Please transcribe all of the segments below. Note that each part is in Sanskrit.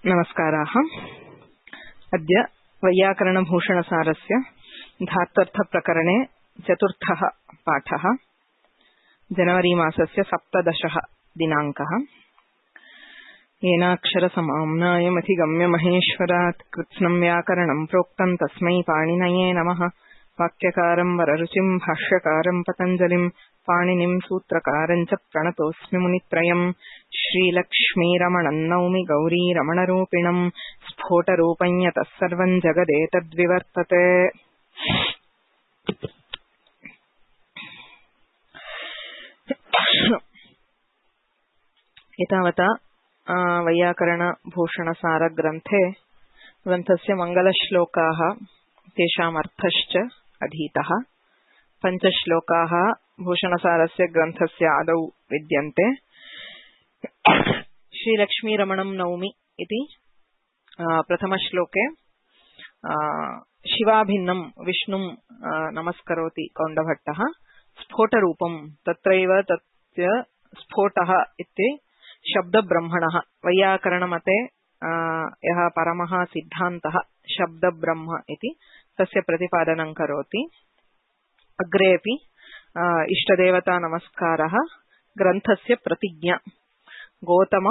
नमस्काराः। अद्य वैयाकरणभूषणसारस्य धात्वर्थप्रकरणे चतुर्थः पाठः। जनवरी मासस्य 17 दिनाङ्कः। येनाक्षरसमाम्नायमधिगम्य महेश्वरात् कृत्स्नं व्याकरणं प्रोक्तं तस्मै पाणिनये नमः। वाक्यकारं वररुचिं भाष्यकारं पतञ्जलिं पाणिनिं सूत्रकारं च प्रणतोऽस्मि मुनित्रयम्। श्रीलक्ष्मीरमणं नौमि गौरीरमणरूपिणं स्फोटरूपं यतः सर्वं जगदेतद्विवर्तते। एतावता ग्रन्थस्य मङ्गलश्लोकाः तेषामर्थश्च अधीतः। 5 श्लोकाः भूषणसारस्य ग्रन्थस्य आदौ विद्यन्ते। श्रीलक्ष्मीरमणं नौमि इति प्रथमश्लोके शिवाभिन्नं विष्णुं नमस्करोति कौण्डभट्टः। स्फोटरूपं तत्रैव तस्य स्फोटः इति शब्दब्रह्मणः वैयाकरणमते यः परमः सिद्धान्तः शब्दब्रह्म इति तस्य प्रतिपादनं करोति। अग्रेपि इष्टदेवता नमस्कारः ग्रन्थस्य प्रतिज्ञा। गौतम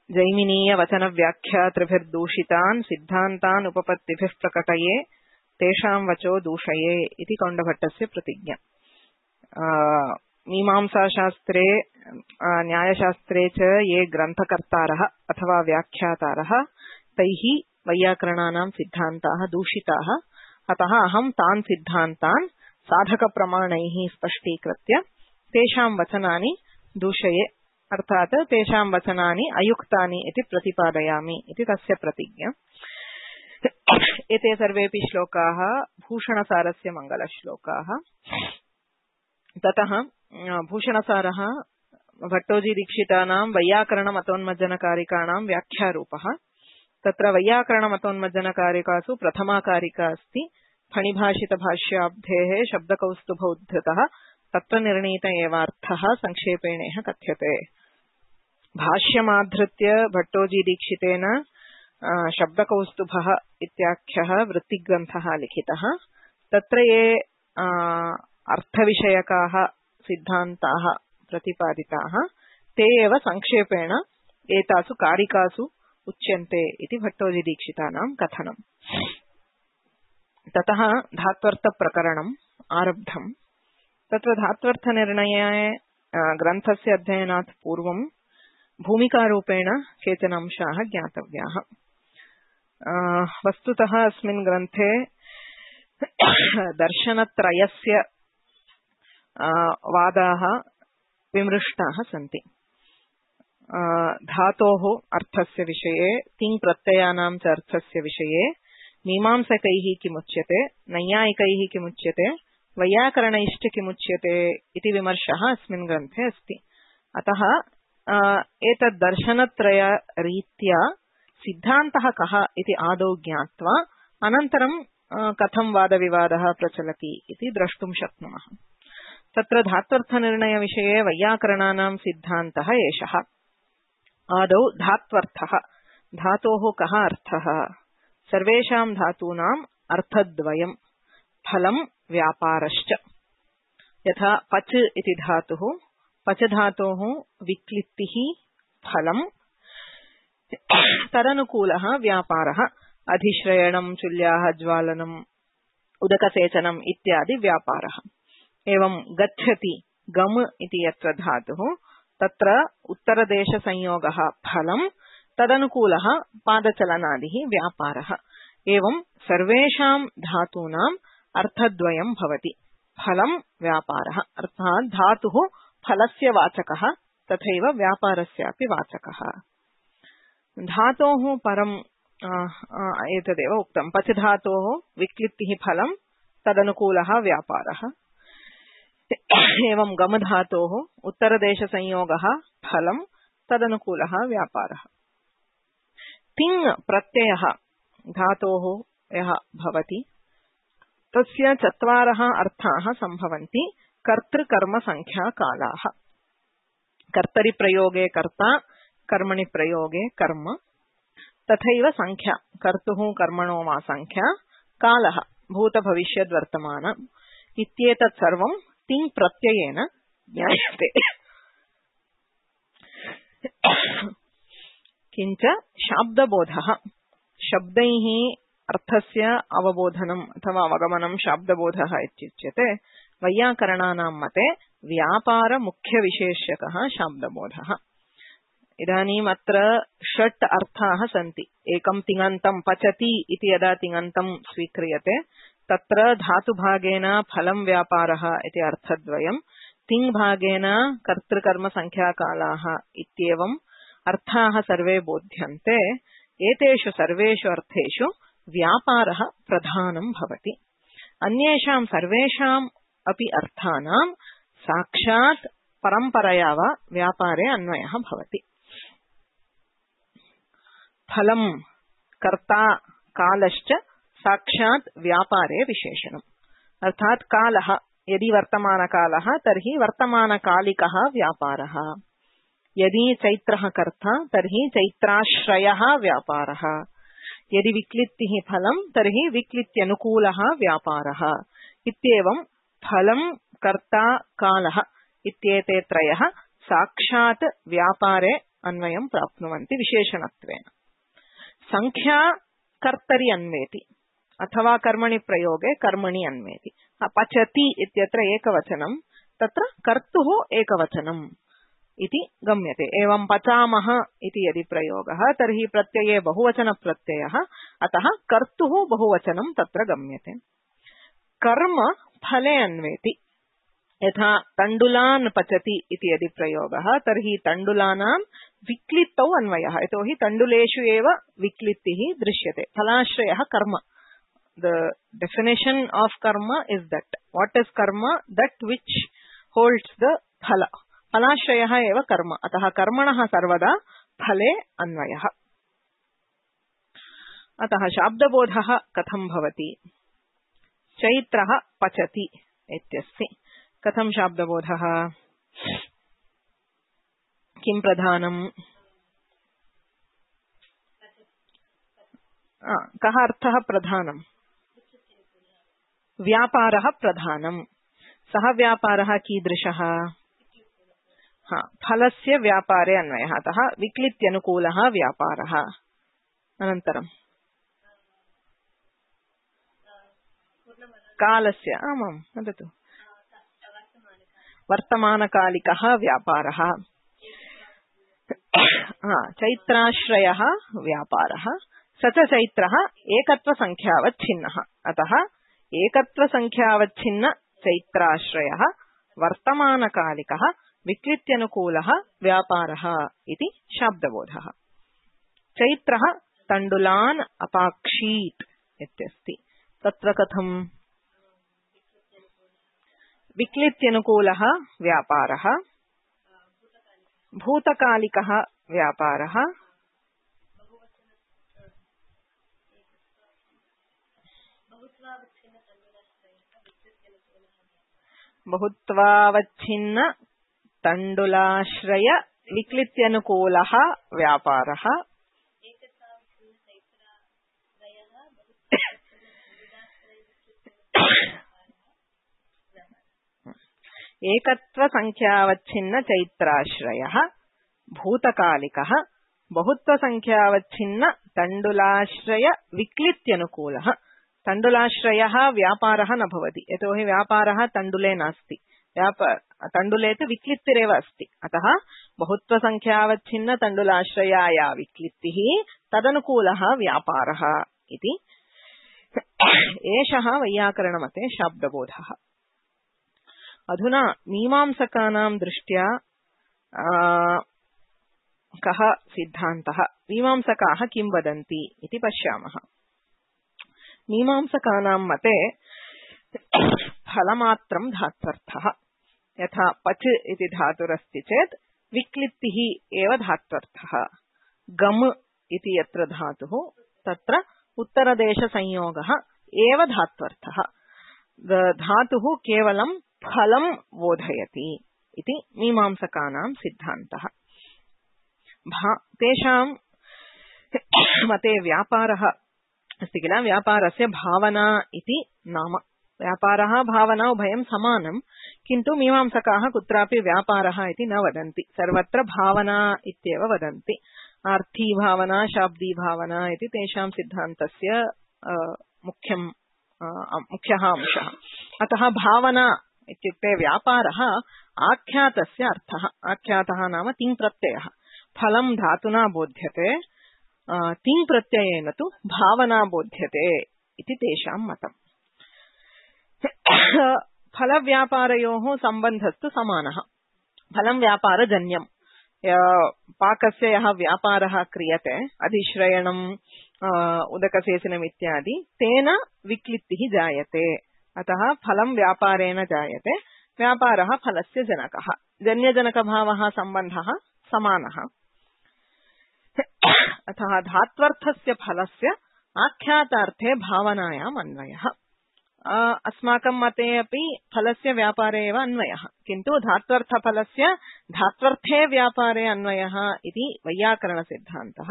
जैमिनीय वचन व्याख्यातृभिर्दूषितान् सिद्धान्तान् उपपत्तिभिः प्रकटये तेषां वचो दूषये इति कौण्डभट्टस्य प्रतिज्ञा। मीमांसाशास्त्रे न्यायशास्त्रे च ये ग्रन्थकर्तारः अथवा व्याख्यातारः तैः वैयाकरणानां सिद्धान्ताः दूषिताः। अतः अहं तान् सिद्धान्तान् साधकप्रमाणैः स्पष्टीकृत्य तेषां वचनानि दूषये, अर्थात् तेषां वचनानि अयुक्तानि इति प्रतिपादयामि इति तस्य प्रतिज्ञा। एते सर्वेपि श्लोकाः भूषणसारस्य मङ्गलश्लोकाः। ततः भूषणसारः भट्टोजीदीक्षितानां वैयाकरणमतोन्मज्जनकारिकाणां व्याख्यारूपः। तत्र वैयाकरणमतोन्मज्जनकारिकासु प्रथमा कारिका अस्ति फणिभाषितभाष्याब्धेः शब्दकौस्तुभ उद्धृतः तत्र निर्णीत एवार्थः संक्षेपेणेह कथ्यते। भाष्यमाधृत्य भट्टोजीदीक्षितेन शब्दकौस्तुभः इत्याख्यः वृत्तिग्रन्थः लिखितः। तत्र ये अर्थविषयकाः सिद्धान्ताः प्रतिपादिताः ते एव संक्षेपेण एतासु कारिकासु उच्यन्ते इति भट्टोजीदीक्षितानां कथनम्। ततः धात्वर्थप्रकरणम् आरब्धम्। तत्र धात्वर्थनिर्णये ग्रन्थस्य अध्ययनात् पूर्वं भूमिकारूपेण केचन अंशाः ज्ञातव्याः। वस्तुतः अस्मिन् ग्रन्थे दर्शनत्रयस्य वादाः विमृष्टाः सन्ति। धातोः अर्थस्य विषये, तिङ् प्रत्ययानां च अर्थस्य विषये मीमांसकैः किमुच्यते, नैयायिकैः किमुच्यते, वैयाकरणैश्च किमुच्यते इति विमर्शः अस्मिन् ग्रन्थे अस्ति। अतः एतद् दर्शनत्रयरीत्या सिद्धान्तः कः इति आदौ ज्ञात्वा अनन्तरं कथं वादविवादः प्रचलति इति द्रष्टुं शक्नुमः। तत्र धात्वर्थनिर्णयविषये वैयाकरणानां सिद्धान्तः एषः। आदौ धात्वर्थः। धातोः कः अर्थः? सर्वेषां धातूनाम् अर्थद्वयम्, फलं व्यापारश्च। यथा पच इति धातुः, पच धातोः विक्लित्तिः फलं, तदनुकूलः व्यापारः। अधिश्रयणं, चुल्याः ज्वालनम्, उदकसेचनम् इत्यादि व्यापारः। एवं गच्छति गम इति यत्र धातुः तत्र उत्तरदेशसंयोगः फलं, तदनुकूलः पादचलनादिः व्यापारः। एवं सर्वेषां धातूनाम् अर्थद्वयं भवति, फलं व्यापारः। अर्थात् धातुः फलस्य वाचकः तथैव व्यापारस्यापि वाचकः। धातोः परम् एतदेव उक्तं। पच धातोः विक्लित्तिः फलं, तदनुकूलः व्यापारः। एवं गम धातोः उत्तरदेशसंयोगः फलं, तदनुकूलः व्यापारः। तिङ् प्रत्ययः धातोः यः भवति तस्य 4 अर्थाः सम्भवन्ति। कर्तृकर्मसङ्ख्याकालाः। कर्तरि प्रयोगे कर्ता, कर्मणि प्रयोगे कर्म। तथैव संख्या कर्तुः कर्मणो वा संख्या कालः भूत भविष्यद् वर्तमान इत्येतत् सर्वं तिङ् प्रत्ययेन ज्ञायते। किञ्च शाब्दबोधः शब्दैः अर्थस्य अवबोधनम् अथवा अवगमनं शाब्दबोधः इत्युच्यते। वैयाकरणानां मते व्यापार मुख्यविशेष्यकः शाब्दबोधः। इदानीम् अत्र षट् अर्थाः सन्ति। एकं तिङन्तं पचति इति यदा तिङन्तं स्वीक्रियते तत्र धातुभागेन फलं व्यापारः इति अर्थद्वयम्, तिङ्भागेन कर्तृकर्मसङ्ख्याकालाः इत्येवम् अर्थाः सर्वे बोध्यन्ते। एतेषु सर्वेषु अर्थेषु व्यापारः प्रधानं भवति। अन्येषां सर्वेषाम् अपि अर्थानां साक्षात् परम्परया वा व्यापारे अन्वयः भवति। फलं कर्ता कालश्च साक्षात् व्यापारे विशेषणम्। अर्थात् कालः यदि वर्तमानकालः तर्हि वर्तमानकालिकः व्यापारः, यदि चैत्रः कर्ता तर्हि चैत्राश्रयः व्यापारः, यदि विक्लित्तिः फलं तर्हि विक्लित्यनुकूलः व्यापारः इत्येवं फलं कर्ता कालः इत्येते त्रयः साक्षात् व्यापारे अन्वयं प्राप्नुवन्ति विशेषणत्वेन। संख्या कर्तरि अन्वेति अथवा कर्मणि प्रयोगे कर्मणि अन्वेति। पचति इत्यत्र एकवचनं, तत्र कर्तुः एकवचनम् इति गम्यते। एवं पचामः इति यदि प्रयोगः तर्हि प्रत्यये बहुवचनप्रत्ययः, अतः कर्तुः बहुवचनं तत्र गम्यते। कर्म फले अन्वेति। यथा तण्डुलान् पचति इति यदि प्रयोगः तर्हि तण्डुलानां विक्लित्तौ अन्वयः, यतोहि तण्डुलेषु एव विक्लित्तिः दृश्यते। फलाश्रयः कर्म। The definition of karma is that what is karma? That which holds the phala. फलाश्रयः एव कर्म, अतः कर्मणः सर्वदा फले अन्वयः। अतः शाब्दबोधः कथं भवति? चैत्रः पचति इत्यस्ति। कथं शाब्दबोधः? किं प्रधानम्? कः अर्थः प्रधानम्? व्यापारः प्रधानम्। सः व्यापारः कीदृशः? फलस्य व्यापारे अन्वयः, अतः विक्लित्यनुकूलः व्यापारः। अनन्तरं कालस्य, आमां वदतु, वर्तमानकालिकः व्यापारः। चैत्राश्रयः व्यापारः। स च चैत्रः एकत्वसङ्ख्यावच्छिन्नः, अतः एकत्वसङ्ख्यावच्छिन्न चैत्राश्रयः वर्तमानकालिकः विक्लित्यनुकूलः व्यापारः इति शाब्दबोधः। चैत्रः तण्डुलान् अपाक्षीत् इत्यस्ति। तत्र कथं? विक्लित्यनुकूलः व्यापारः, भूतकालिकः व्यापारः, बहुत्वावच्छिन्न तण्डुलाश्रय विक्लित्यनुकूलः व्यापारः, एकत्वसङ्ख्यावच्छिन्न चैत्राश्रयः भूतकालिकः, बहुत्वसङ्ख्यावच्छिन्न तण्डुलाश्रय विक्लित्यनुकूलः। तण्डुलाश्रयः व्यापारः न भवति, यतोहि व्यापारः तण्डुले नास्ति। तण्डुले तु विक्लित्तिरेव अस्ति, अतः बहुत्वसङ्ख्यावच्छिन्न तण्डुलाश्रयाया विक्लित्तिः तदनुकूलः व्यापारः इति। एषः वैयाकरणमते शाब्दबोधः। अधुना मीमांसकानां दृष्ट्या कः सिद्धान्तः, मीमांसकाः किं वदन्ति इति पश्यामः। मीमांसकानां मते फलमात्रं धात्वर्थः। यथा पच इति धातुरस्ति चेत् विक्लित्तिः एव धात्वर्थः। गम इति यत्र धातुः तत्र उत्तरदेशसंयोगः एव धात्वर्थः। धातुः केवलं फलं बोधयति इति मीमांसकानां सिद्धान्तः। तेषां मते व्यापारः अस्ति किल, व्यापारस्य भावना इति नाम। व्यापारः भावना उभयं समानं, किन्तु मीमांसकाः कुत्रापि व्यापारः इति न वदन्ति, सर्वत्र भावना इत्येव वदन्ति। आर्थी भावना, शाब्दी भावना इति तेषां सिद्धान्तस्य मुख्यः अंशः। अतः भावना इत्युक्ते व्यापारः आख्यातस्य अर्थः। आख्यातः नाम तिङ् प्रत्ययः। फलं धातुना बोध्यते, तिङ् प्रत्ययेन तु भावना बोध्यते इति तेषां मतम्। फलव्यापारयोः सम्बन्धस्तु समानः। फलं व्यापारजन्यम्। पाकस्य यः व्यापारः क्रियते, अधिश्रयणम्, उदकसेचनम् इत्यादि, तेन विक्लित्तिः जायते। अतः फलं व्यापारेण जायते, व्यापारः फलस्य जनकः। जन्यजनकभावः सम्बन्धः समानः। अतः धात्वर्थस्य फलस्य आख्यातार्थे भावनायाम् अन्वयः। अस्माकं मते अपि फलस्य व्यापारे एव अन्वयः, किन्तु धात्वर्थफलस्य धात्वर्थे व्यापारे अन्वयः इति वैयाकरणसिद्धान्तः।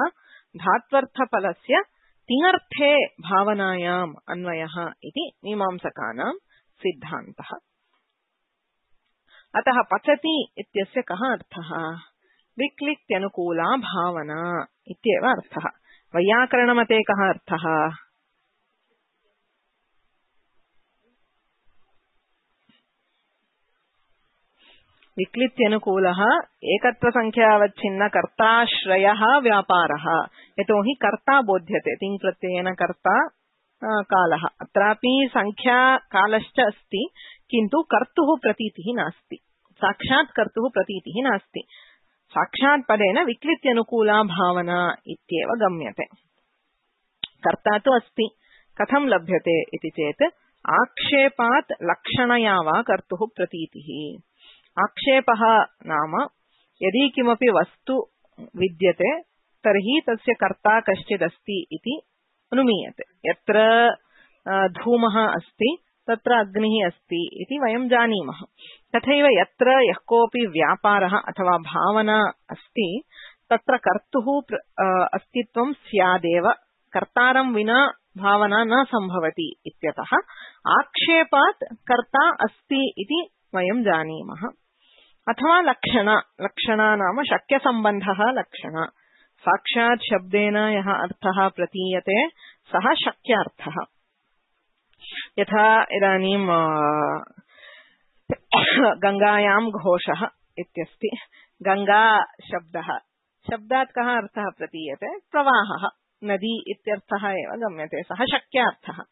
धात्वर्थफलस्य तिङर्थे भावनायाम् अन्वयः इति मीमांसकानां सिद्धान्तः। अतः पचति इत्यस्य कः अर्थः? विक्लित्यनुकूला भावना इत्येव अर्थः। वैयाकरणमते कः अर्थः? विक्लित्यनुकूलः एकत्वसंख्यावच्छिन्न कर्ताश्रयः व्यापारः। यतोहि कर्ता बोध्यते, तिङ् प्रत्ययेन कर्ता कालः। अत्रापि संख्या कालश्च अस्ति, किन्तु कर्तुः प्रतीतिः नास्ति, साक्षात् कर्तुः प्रतीतिः नास्ति। साक्षात् पदेन विक्लित्यनुकूला भावना इत्येव गम्यते। कर्ता तु अस्ति, कथं लभ्यते इति चेत् आक्षेपात् लक्षणया वा कर्तुः प्रतीतिः। आक्षेपः नाम यदि किमपि वस्तु विद्यते तर्हि तस्य कर्ता कश्चिदस्ति इति अनुमीयते। यत्र धूमः अस्ति तत्र अग्निः अस्ति इति वयं जानीमः। तथैव यत्र यः कोऽपि व्यापारः अथवा भावना अस्ति तत्र कर्तुः अस्तित्वं स्यादेव, कर्तारं विना भावना न सम्भवति इत्यतः आक्षेपात् कर्ता अस्ति इति वयं जानीमः। अथवा लक्षणा। लक्षणा नाम शक्यसम्बन्धः लक्षणा। साक्षात् शब्देन यः अर्थः प्रतीयते सः शक्यार्थः। यथा इदानीं गङ्गायां घोषः इत्यस्ति। गङ्गा शब्दः, शब्दात् कः अर्थः प्रतीयते? प्रवाहः, नदी इत्यर्थः एव गम्यते, सः शक्यार्थः।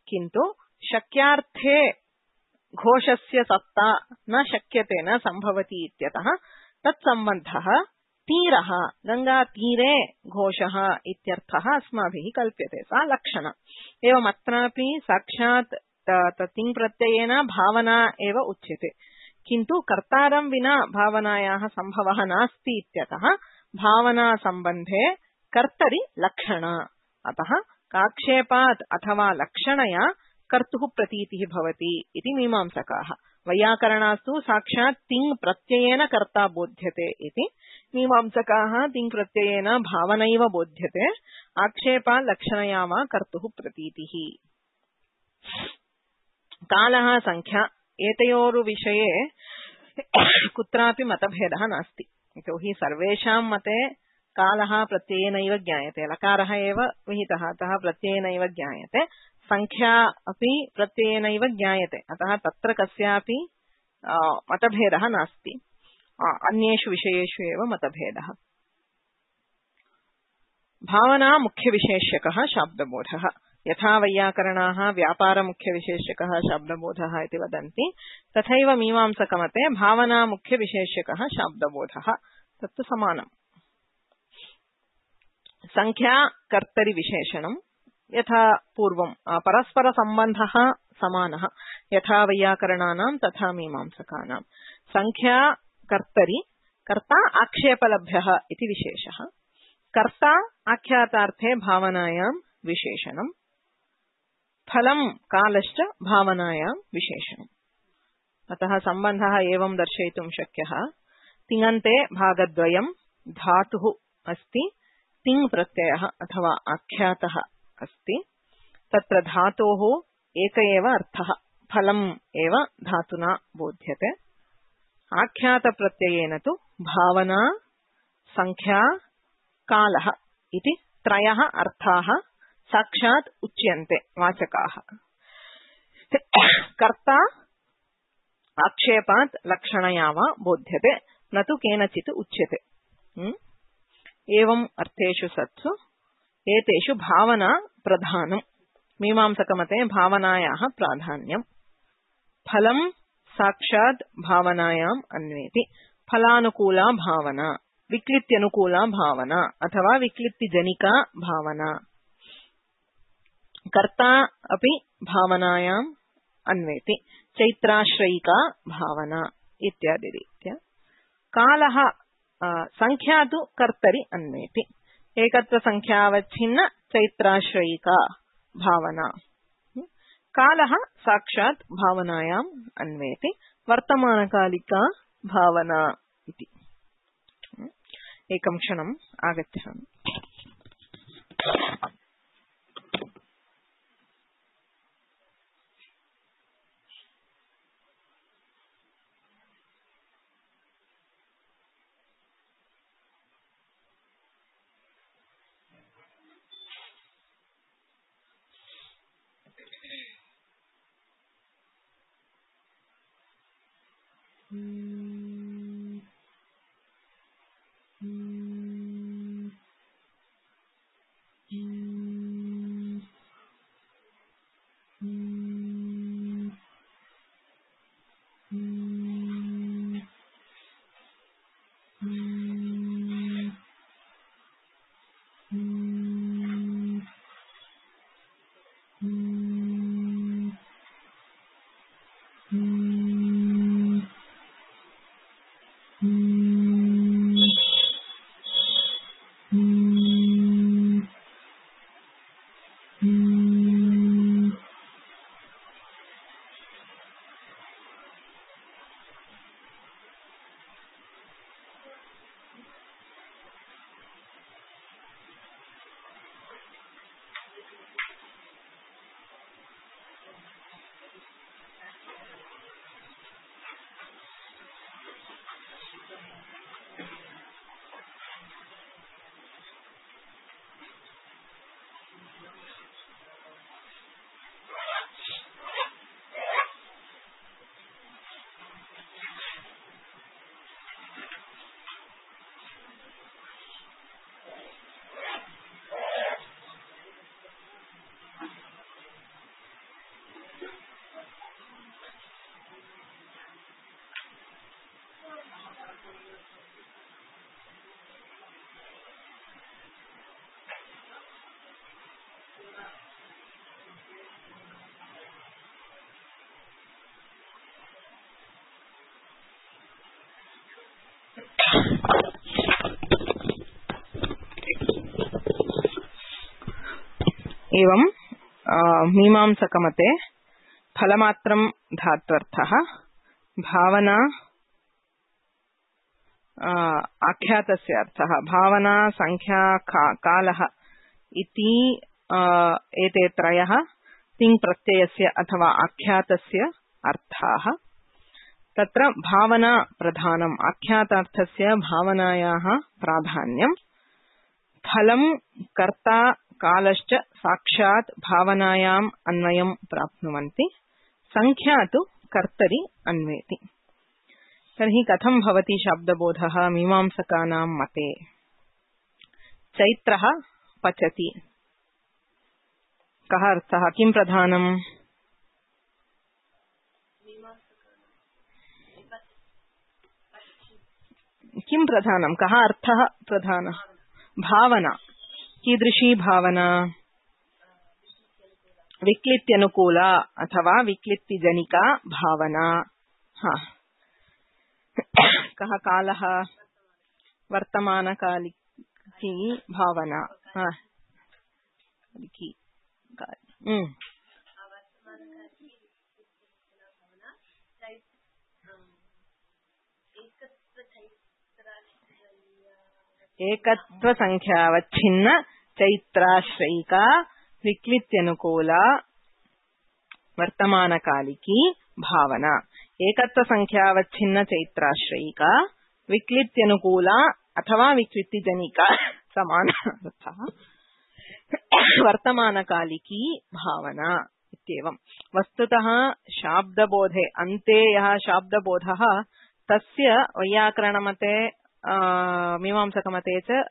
किन्तु शक्यार्थे घोषस्य सत्ता न शक्यते, न सम्भवति इत्यतः तत्सम्बन्धः तीरः, गङ्गातीरे घोषः इत्यर्थः अस्माभिः कल्प्यते, सा लक्षणा। एवम् अत्रापि साक्षात् तिङ् प्रत्ययेन भावना एव उच्यते, किन्तु कर्तारं विना भावनायाः सम्भवः नास्ति इत्यतः भावनासम्बन्धे कर्तरि लक्षणा। अतः काक्षेपात् अथवा लक्षणया कर्तुः प्रतीतिः भवति इति मीमांसकाः। वैयाकरणास्तु साक्षात् तिङ् प्रत्ययेन कर्ता बोध्यते इति, मीमांसकाः तिङ् प्रत्ययेन भावनैव बोध्यते, आक्षेपात् लक्षणया वा कर्तुः प्रतीतिः। कालः संख्या, एतयोर्विषये कुत्रापि मतभेदः नास्ति। यतोहि सर्वेषां मते कालः प्रत्ययेनैव ज्ञायते, लकारः एव विहितः, अतः प्रत्ययेनैव ज्ञायते। संख्या अपि प्रत्ययेनैव ज्ञायते, अतः तत्र कस्यापि मतभेदः नास्ति। अन्येषु विषयेषु एव मतभेदः। भावना मुख्यविशेष्यकः शाब्दबोधः। यथा वैयाकरणाः व्यापारमुख्यविशेष्यकः शाब्दबोधः इति वदन्ति, तथैव मीमांसकमते भावना मुख्यविशेष्यकः शाब्दबोधः, तत्तु समानम्। संख्या कर्तरि विशेषणम् यथा पूर्वं परस्परसम्बन्धः समानः, यथा वैयाकरणानां तथा मीमांसकानां। संख्या कर्तरि, कर्ता आक्षेपलभ्यः इति विशेषः। कर्ता आख्यातार्थे भावनायां विशेषणम्। फलं कालश्च भावनायां विशेषणम्। अतः सम्बन्धः एवं दर्शयितुं शक्यः। तिङन्ते भागद्वयं, धातुः अस्ति, तिङ् प्रत्ययः अथवा आख्यातः अस्ति तत्र धातोः एक एव अर्थः फलम् एव धातुना बोध्यते आख्यातप्रत्ययेन तु भावना संख्या कालः इति त्रयः अर्थाः साक्षात् उच्यन्ते वाचकाः कर्ता आक्षेपात् लक्षणया वा बोध्यते न तु केनचित् उच्यते एवं अर्थेषु सत्सु एतेषु भावना प्रधानम् मीमांसकमते भावनायाः प्राधान्यम् फलं साक्षात् भावनायाम् अन्वेति फलानुकूला भावना विक्लित्यनुकूला भावना अथवा विक्लित्तिजनिका भावना कर्ता अपि भावनायाम् अन्वेति चैत्राश्रयिका भावना इत्यादि रीत्या कालः संख्या तु कर्तरि अन्वेति एकत्र संख्यावच्छिन्न चैत्राश्रयिका भावना कालः साक्षात् भावनायाम् अन्वेति वर्तमानकालिका भावना इति एकं क्षणम् आगच्छामि एवं मीमांसकमते फलमात्रं धात्वर्थः भावना आख्यातस्य अर्थः भावना संख्या कालः इति एते त्रयः तिङ् प्रत्ययस्य अथवा आख्यातस्य अर्थाः तत्र भावना प्रधानम् आख्यातार्थस्य भावनायाः प्राधान्यम् फलं कर्ता कालश्च साक्षात् भावनायाम् अन्वयं प्राप्नुवन्ति संख्या तु कर्तरि अन्वेति तर्हि कथं भवति शब्दबोधः मीमांसकानां मते चैत्रः पचति कः अर्थः किं प्रधानम् किं प्रधानं कः अर्थः प्रधानः भावना कीदृशी भावना विक्लित्यनुकूला अथवा विक्लित्तिजनिका भावना कः कालः वर्तमानकालिकी भावना एकत्व संख्यावच्छिन्न चैत्राश्रयिका विक्लित्यनुकूला वर्तमानकालिकी भावना. एकत्व संख्यावच्छिन्न चैत्राश्रयिका विक्लित्यनुकूला अथवा विक्लितिजनिका समानार्थः वर्तमानकालिकी भावना इत्येवं. वस्तुतः शाब्दबोधे अन्ते यः शाब्दबोधः तस्य वैयाकरणमते मीमांसकमते च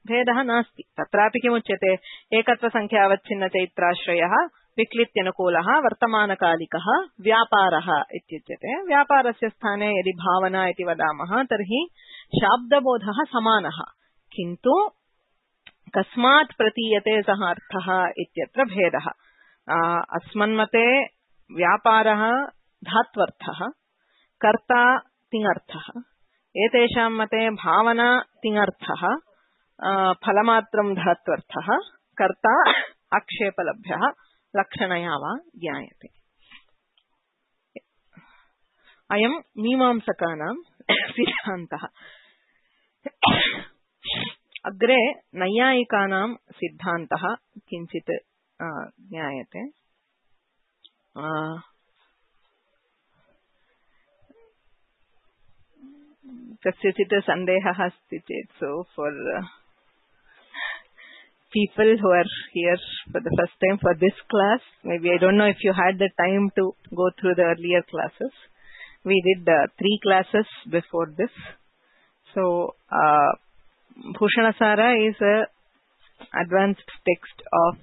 भेदः नास्ति. तत्रापि किमुच्यते? एकत्वसङ्ख्यावच्छिन्न चैत्राश्रयः विक्लित्यनुकूलः वर्तमानकालिकः व्यापारः इत्युच्यते. व्यापारस्य स्थाने यदि भावना इति वदामः तर्हि शाब्दबोधः समानः, किन्तु कस्मात् प्रतीयते सः अर्थः इत्यत्र भेदः. अस्मन्मते व्यापारः धात्वर्थः, कर्ता तिङर्थः. एतेषां मते भावना तिङर्थः, फलमात्रं धात्वर्थः, कर्ता आक्षेपलभ्यः लक्षणया वा ज्ञायते. अयं मीमांसकानां सिद्धान्तः. अग्रे नैयायिकानां सिद्धान्तः किञ्चित् ज्ञायते. कस्यचित् सन्देहः अस्ति चेत्, so for people who are here for the first time for this class, maybe I don't know if you had the time to go through the earlier classes. We did 3 classes before this. So Bhushanasara is a advanced text of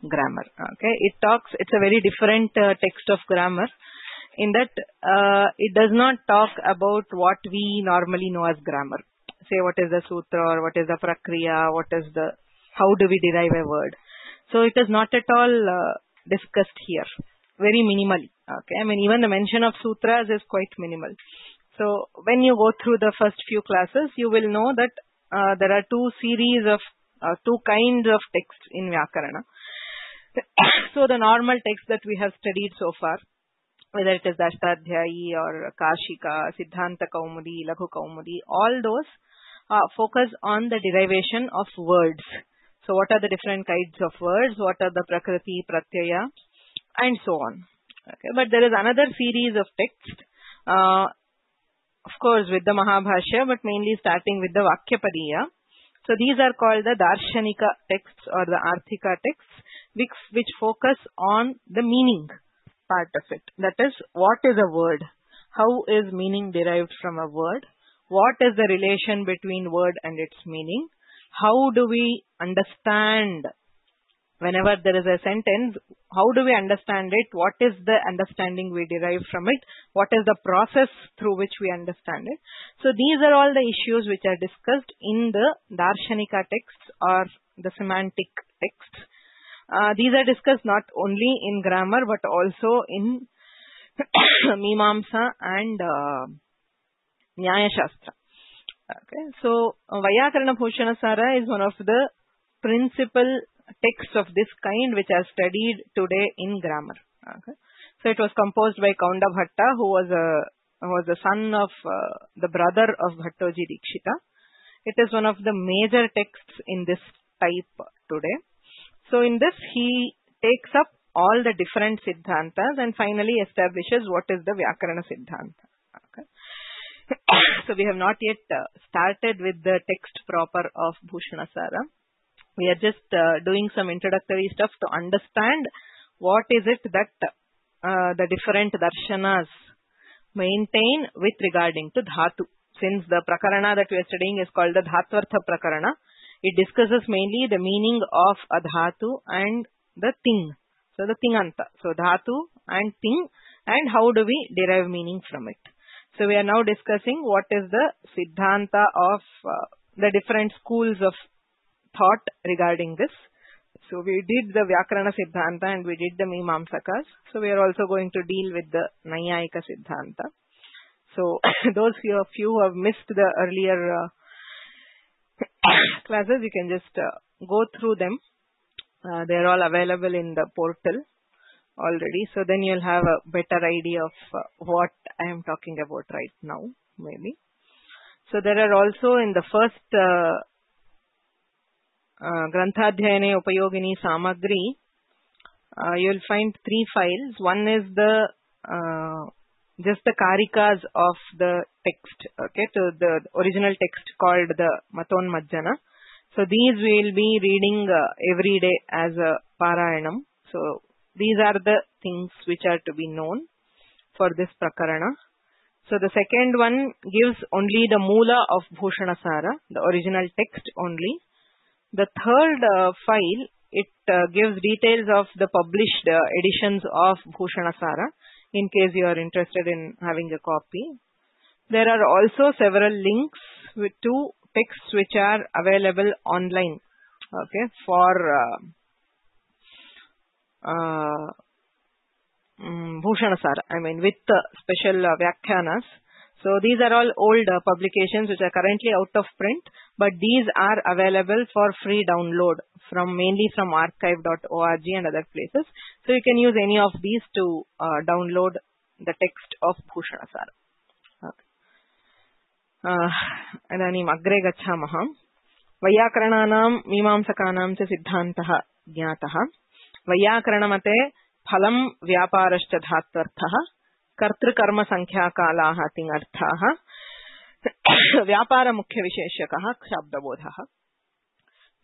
grammar. Okay, it's a very different text of grammar, in that it does not talk about what we normally know as grammar. Say what is the sutra, or what is the prakriya, how do we derive a word. So it is not at all discussed here, very minimally. Okay, I mean even the mention of sutras is quite minimal. So when you go through the first few classes, you will know that there are two kinds of texts in Vyakarana. So the normal text that we have studied so far, whether it is the Ashtadhyayi or Kashika, Siddhanta Kaumudi, Laghu Kaumudi, all those focus on the derivation of words. So what are the different kinds of words, what are the Prakriti, Pratyaya, and so on. Okay, but there is another series of texts, of course with the Mahabhashya, but mainly starting with the Vakyapadiya. So these are called the Darshanika texts or the Arthika texts, which focus on the meaning part of it. That is, what is a word? How is meaning derived from a word? What is the relation between word and its meaning? How do we understand whenever there is a sentence? How do we understand it? What is the understanding we derive from it? What is the process through which we understand it? So these are all the issues which are discussed in the Darshanika texts or the semantic texts. These are discussed not only in grammar but also in Mimamsa and Nyaya Shastra. Okay, so Vaiyakarana Bhushanasara is one of the principal texts of this kind which are studied today in grammar. Okay, so it was composed by Kaunda Bhatta, who was the son of the brother of Bhattoji Dikshita. It is one of the major texts in this type today. So in this he takes up all the different siddhantas and finally establishes what is the Vyakarana Siddhanta. Okay. So we have not yet started with the text proper of Bhushanasara. We are just doing some introductory stuff to understand what is it that the different darshanas maintain with regarding to dhatu. Since the prakarana that we are studying is called the Dhatvartha Prakarana, it discusses mainly the meaning of a dhatu and the ting. So the tinganta. So dhatu and ting, and how do we derive meaning from it. So we are now discussing what is the siddhanta of the different schools of thought regarding this. So we did the Vyakarana Siddhanta and we did the Mimamsakas. So we are also going to deal with the Nayayika Siddhanta. So those of you who have missed the earlier classes, you can just go through them. They are all available in the portal already. So then you'll have a better idea of what I am talking about right now, maybe. So there are also in the first Granthaadhyayane Upayogini Samagri, you'll find 3 files. One is the just the karikas of the text, okay, to the original text called the Matonmajjana. So these we'll be reading every day as a Parayanam. So these are the things which are to be known for this Prakarana. So the second one gives only the Moola of Bhushanasara, the original text only. The third file, it gives details of the published editions of Bhushanasara, in case you are interested in having a copy. There are also several links to texts which are available online, okay, for Bhushanasara, I mean with special Vyakhyanas. So these are all old publications which are currently out of print, but these are available for free download mainly from archive.org and other places. So you can use any of these to download the text of Bhushanasara. Idanim agre gachamah. Vayakarananam mimamsakanam cha siddhantah jnatah. Vayakaranamate phalam vyaparascha dhatvarthah. Kartrukarma sankhya kalaha tingarthah. Vyapara mukhya visheshakah shabdabodhah.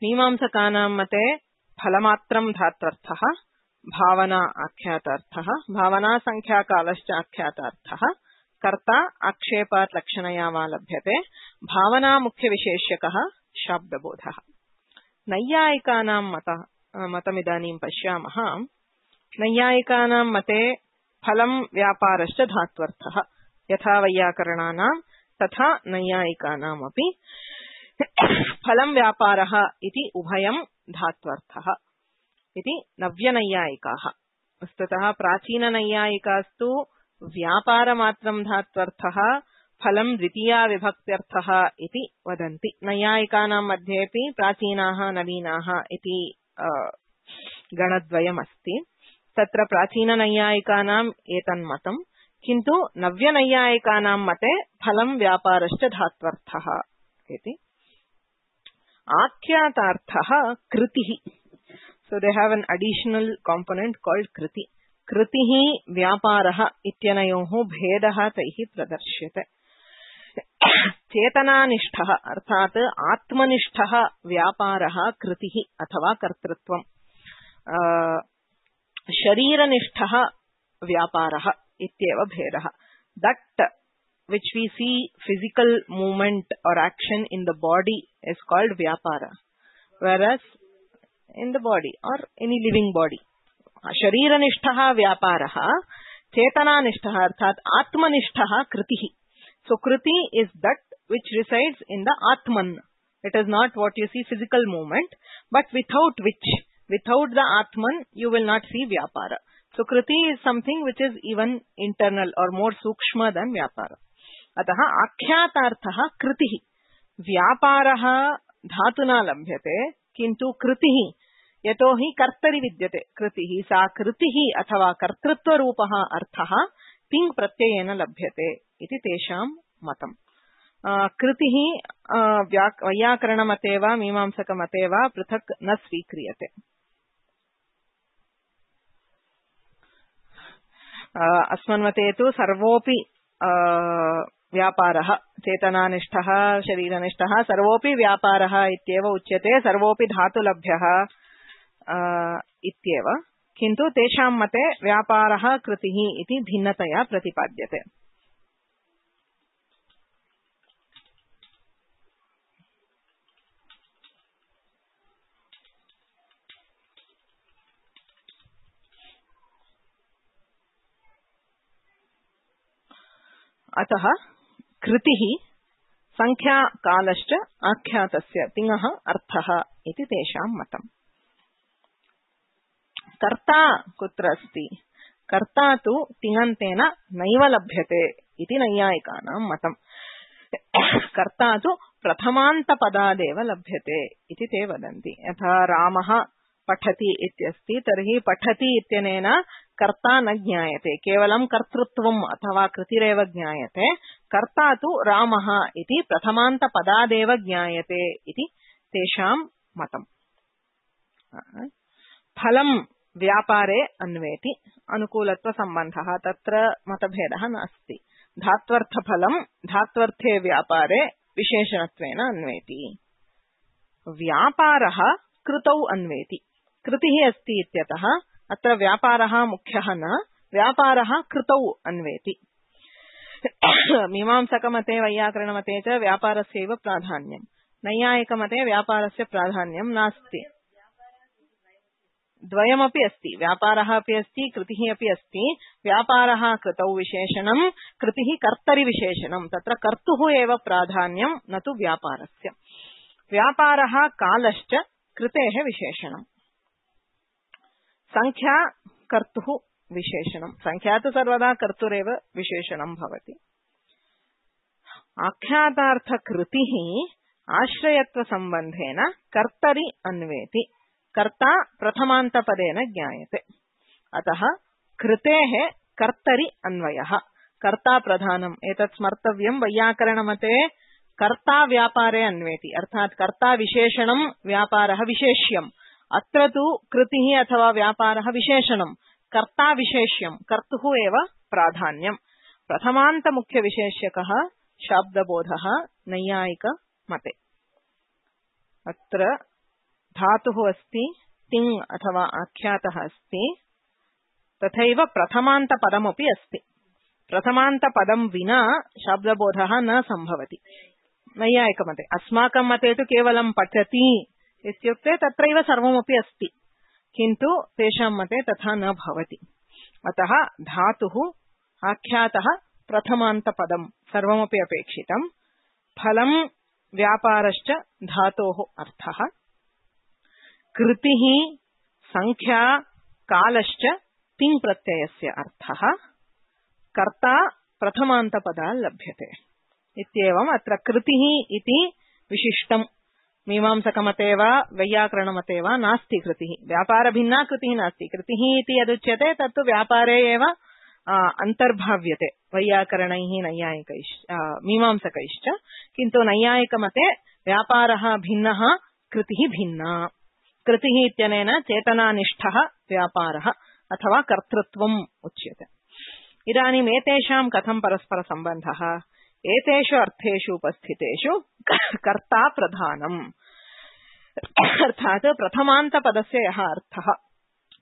Mimamsakanam mate phalamatram dhatvarthah. Bhavana akhyataarthah. Bhavana sankhya kalascha akhyataarthah. Karta akshepat lakshanaya valabhyate. Bhavana mukhya visheshyakah shabdabodhah. Nayyayikanam matamidanim pashyamah. Nayyayikanam mate phalam vyaparascha dhatvarthah. Yatha vayakarananam tatha nayyayikanam api phalam vyaparaha iti ubhayam dhatvarthah. Iti navyanayayikaah. Vastutah prachina nayyayikastu Vyaparamatram dhatvarthah phalam dvitiya vibhaktyarthah iti vadanti. Nayyayikanam madhyepi prachinaah navinaah iti ganadvayam asti. Tatra prachina nayyayikanam etan matam. Kintu navya nayyayikanam mate phalam vyaparascha dhatvarthah iti. Akhyatarthah kritihi. So they have an additional component called kriti. Kritihi vyaparaha ityanayoho bhedaha taihi pradarsyate. Chetananishtaha arthat atmanishtaha vyaparaha kritihi athava kartrutvam. Shariranishtaha vyaparaha ityeva bhedaha. That which we see physical movement or action in the body is called vyapara. Whereas in the body or any living body. Shariranishtaha vyaparaha, chetananishtaha arthat atmanishtaha kritihi. So kriti is that which resides in the atman. It is not what you see physical movement, but without the atman, you will not see vyapara. So kriti is something which is even internal or more sukshma than vyapara. Ataha akhyatarthaha kritihi. Vyaparaha dhatuna labhyate, kintu kritihi. Yatohi kartari vidyate kritihi sa kritihi athava kartrutva rupaha arthaha ting pratyayena labhyate iti tesham matam. Kritihi vyakarana mateva mimamsaka mateva prithak na svikriyate. Asman mate tu sarvopi vyaparaha chetananishtaha shariranishtaha sarvopi vyaparaha ityeva uchyate sarvopi dhatu labhyaha ityeva. Kintu tesham mate vyaparaha kritihi iti bhinnataya pratipadyate. Ataha kritihi sankhya kalascha akhyatasya tingaha arthaha iti tesham matam. Karta kutra asti? Karta tu tingantena naiva labhyate iti nayyayikanam matam. Karta tu prathamanta padadeva labhyate iti te vadanti. Yatha Ramaha pathati ityasti tarhi pathati ityanena karta na jnayate. Kevalam kartrutvam athava kritireva jnayate. Karta tu Ramaha iti prathamanta padadeva jnayate iti tesham matam. फलं व्यापारे अन्वेति अनुकूलत्व संबंधः तत्र मतभेदः नास्ति। धात्वर्थफलं धात्वर्थे व्यापारे विशेषणत्वेन अन्वेति। व्यापारः कृतौ अन्वेति। कृतिः अस्ति इत्यतः अत्र व्यापारः मुख्यः न, व्यापारः कृतौ अन्वेति। मीमांसकमते वैयाकरणमते च व्यापारस्यैव प्राधान्यम्। नैयायिकमते व्यापारस्य प्राधान्यं नास्ति। द्वयमपि अस्ति, व्यापारः अपि अस्ति, कृतिः अपि अस्ति। व्यापारः कृतौ विशेषणं, कृतिः कर्तरि विशेषणं। तत्र कर्तुः एव प्राधान्यं न तु व्यापारस्य। व्यापारः कालश्च कृतेः विशेषणम्। संख्या कर्तुः विशेषणं, संख्या तु सर्वदा कर्तुरेव विशेषणं भवति। आख्यातार्थकृतिः आश्रयत्वसम्बन्धेन कर्तरि अन्वेति। कर्ता प्रथमान्तपदेन ज्ञायते, अतः कृतेः कर्तरि अन्वयः। कर्ता प्रधानम् एतत् स्मर्तव्यं। वैयाकरणमते कर्ता व्यापारे अन्वेति, अर्थात् कर्ता विशेषणं व्यापारः विशेष्यम्। अत्र तु कृतिः अथवा व्यापारः विशेषणं, कर्ता विशेष्यं, कर्तुः एव प्राधान्यम्। प्रथमान्तमुख्यविशेष्यकः शाब्दबोधः नैयायिकमते। अत्र धातुः अस्ति, तिङ् अथवा आख्यातः अस्ति, तथैव प्रथमान्तपदमपि अस्ति। प्रथमान्तपदं विना शाब्दबोधः न सम्भवति नैयायिकमते। अस्माकं मते तु केवलं पठति इत्युक्ते तत्रैव सर्वमपि अस्ति, किन्तु तेषां मते तथा न भवति। अतः धातुः, आख्यातः, प्रथमान्तपदं सर्वमपि अपेक्षितम्। फलं व्यापारश्च धातोः अर्थः। कृतिः संख्या कालश्च तिङ् प्रत्ययस्य अर्थः। कर्ता प्रथमान्तपदात् लभ्यते इत्येवम् अत्र कृतिः इति विशिष्टम्। मीमांसकमते वा वैयाकरणमते वा नास्ति कृतिः। व्यापारभिन्ना कृतिः नास्ति। कृतिः इति यदुच्यते तत्तु व्यापारे एव अन्तर्भाव्यते वैयाकरणैः नैयायिकैश्च मीमांसकैश्च। किन्तु नैयायिकमते व्यापारः भिन्नः, कृतिः भिन्ना। कृतिः इत्यनेन चेतनानिष्ठः व्यापारः अथवा कर्तृत्वम् उच्यते। इदानीम् एतेषां कथं परस्परसम्बन्धः? एतेषु अर्थेषु उपस्थितेषु कर्ता प्रधानम्, अर्थात् प्रथमान्तपदस्य यः अर्थः,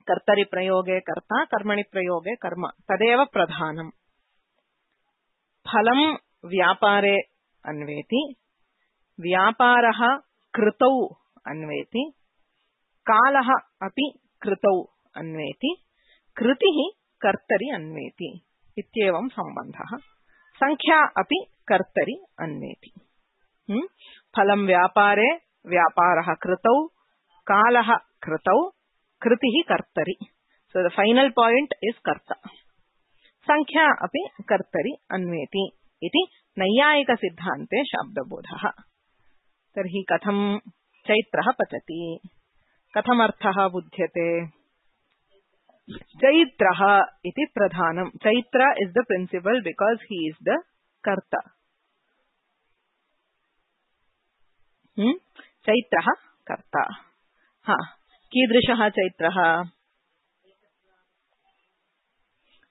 कर्तरि प्रयोगे कर्ता, कर्मणि प्रयोगे कर्म, तदेव प्रधानम्। फलं व्यापारे अन्वेति, व्यापारः कृतौ अन्वेति, कालः अपि कृतौ अन्वेति, कृतिः कर्तरि अन्वेति इत्येवं सम्बन्धः। संख्या अपि कर्तरि अन्वेति। फलं व्यापारे, व्यापारः कृतौ, कालः कृतौ, कृतिः कर्तरि। So the final point is कर्ता। संख्या अपि कर्तरि अन्वेति इति नैयायिक सिद्धान्ते शाब्दबोधः। तर्हि कथं चैत्रः पचति, कथमर्थः बुध्यते? चैत्रः इति प्रधानम्। Chaitra is the principal because he is the karta. चैत्रः कर्ता। कीदृशः चैत्रः?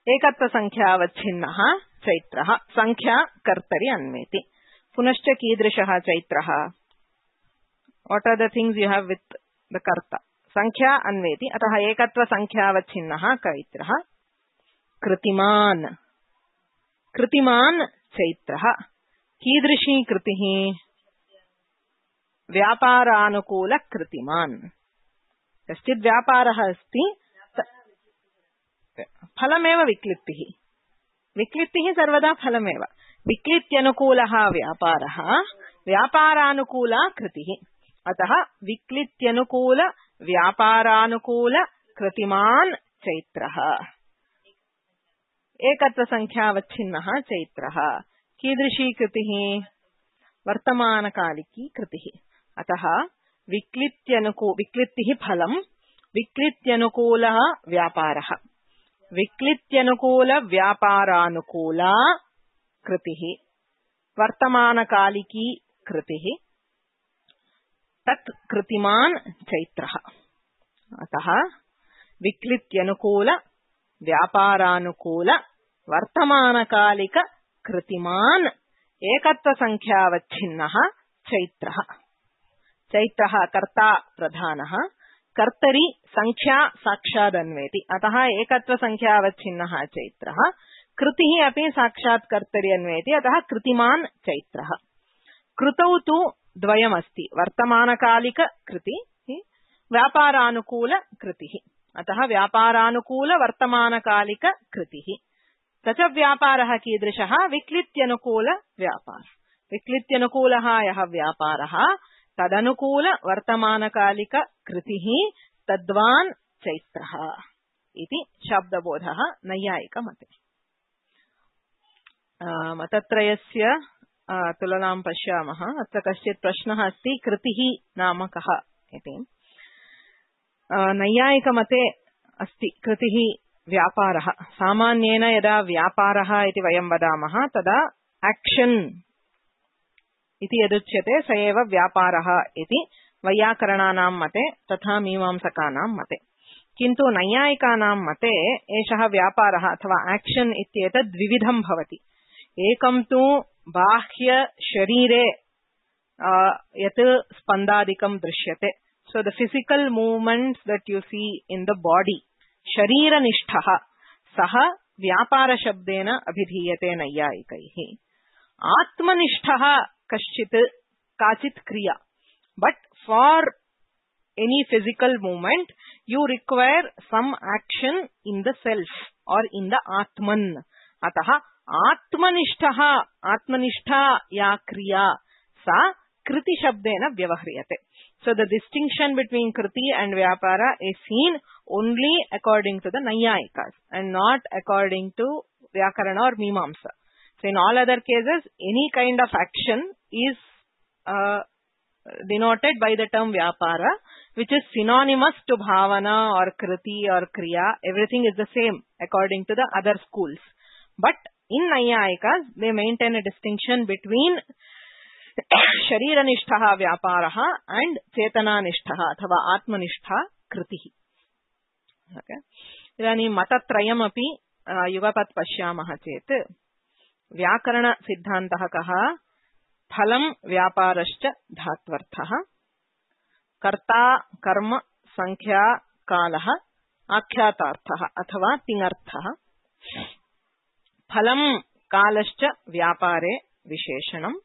एकत्वसंख्यावच्छिन्नः चैत्रः। संख्या कर्तरि अन्वेति। पुनश्च कीदृशः चैत्रः? What are the things you have with the कर्ता? संख्या अन्वेति, अतः एकत्व संख्यावच्छिन्नः चैत्रः। कृतिमान्, कृतिमान् चैत्रः। कीदृशी कृतिः? व्यापारानुकूल कृतिमान्। कश्चित् व्यापारः अस्ति, फलमेव विक्लिप्तिः। विक्लिप्तिः सर्वदा फलमेव। विक्लित्यनुकूलः व्यापारः, व्यापारानुकूला कृतिः। अतः विक्लित्यनुकूल व्यापारानुकूल कृतिमान् चैत्रः। एकत्वसंख्यावच्छिन्नः चैत्रः। कीदृशी कृतिः? वर्तमानकालिकी कृतिः। अतः विक्लिप्तिः फलं, विक्लित्यनुकूलः व्यापारः, विक्लित्यनुकूल व्यापारानुकूला कृतिः, वर्तमानकालिकी कृतिः, तत् कृतिमान् चैत्रः। अतः विक्लित्यनुकूल व्यापारानुकूल वर्तमानकालिक कृतिमान् एकत्वसंख्यावच्छिन्नः चैत्रः। चैत्रः कर्ता प्रधानः, कर्तरि संख्या साक्षादन्वेति, अतः एकत्वसंख्यावच्छिन्नः चैत्रः। कृतिः अपि साक्षात् कर्तरि अन्वेति, अतः कृतिमान् चैत्रः। कृतौ तु द्वयमस्ति, वर्तमानकालिक कृति, व्यापारानुकूल कृतिः, अतः व्यापारानुकूल वर्तमानकालिक कृतिः। स च व्यापारः कीदृशः? विक्लित्यनुकूल व्यापारः। विक्लित्यनुकूलः यः व्यापारः तदनुकूल वर्तमानकालिक कृतिः तद्वान् चैत्रः इति शब्दबोधः नैयायिकमते। मतत्रयस्य तुलनां पश्यामः। अत्र कश्चित् प्रश्नः अस्ति, कृतिः नाम कः इति। नैयायिकमते अस्ति कृतिः व्यापारः। सामान्येन यदा व्यापारः इति वयं वदामः तदा एक्शन् इति यदुच्यते स एव व्यापारः इति वैयाकरणानां मते तथा मीमांसकानां मते। किन्तु नैयायिकानां मते एषः व्यापारः अथवा एक्शन् इत्येतद् द्विविधं भवति। एकं तु बाह्य शरीरे यत् स्पन्दादिकं दृश्यते, so the physical movements that you see in the body, शरीरनिष्ठः सः व्यापारशब्देन अभिधीयते नैयायिकैः। आत्मनिष्ठः काचित् क्रिया, but for any physical movement you require some action in the self or in the atman, अतः आत्मनिष्ठा या क्रिया सा कृति शब्देन व्यवह्रियते। So the distinction between kriti and vyapara is seen only according to the Naiyayikas and not according to Vyakarana or Mimamsa. So in all other cases, any kind of action is denoted by the term vyapara, which is synonymous to bhavana or kriti or kriya. Everything is the same according to the other schools. But in Naiyayikas, they maintain a distinction between शरीरनिष्ठः व्यापारः and चेतनानिष्ठः अथवा आत्मनिष्ठा कृतिः। इदानीं मतत्रयमपि युगपत् पश्यामः चेत् व्याकरणसिद्धान्तः कः? फलं व्यापारश्च धात्वर्थः, कर्ता कर्म संख्या कालः आख्यातार्थः अथवा तिङर्थः। फलं कालश्च व्यापारे विशेषणम्,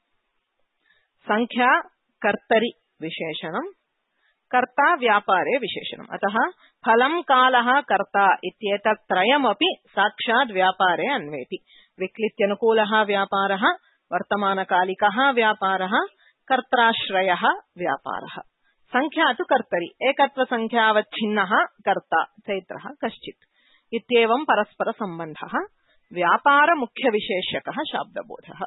संख्या कर्तरि विशेषणम्, कर्ता व्यापारे विशेषणम्। अतः फलं कालः कर्ता इत्येतत् त्रयमपि साक्षात् व्यापारे अन्वेति। विक्लित्यनुकूलः व्यापारः, वर्तमानकालिकः व्यापारः, कर्त्राश्रयः व्यापारः। संख्या तु कर्तरि, एकत्वसंख्यावच्छिन्नः कर्ता चैत्रः कश्चित् इत्येवं परस्परसम्बन्धः। व्यापारमुख्यविशेष्यकः शाब्दबोधः।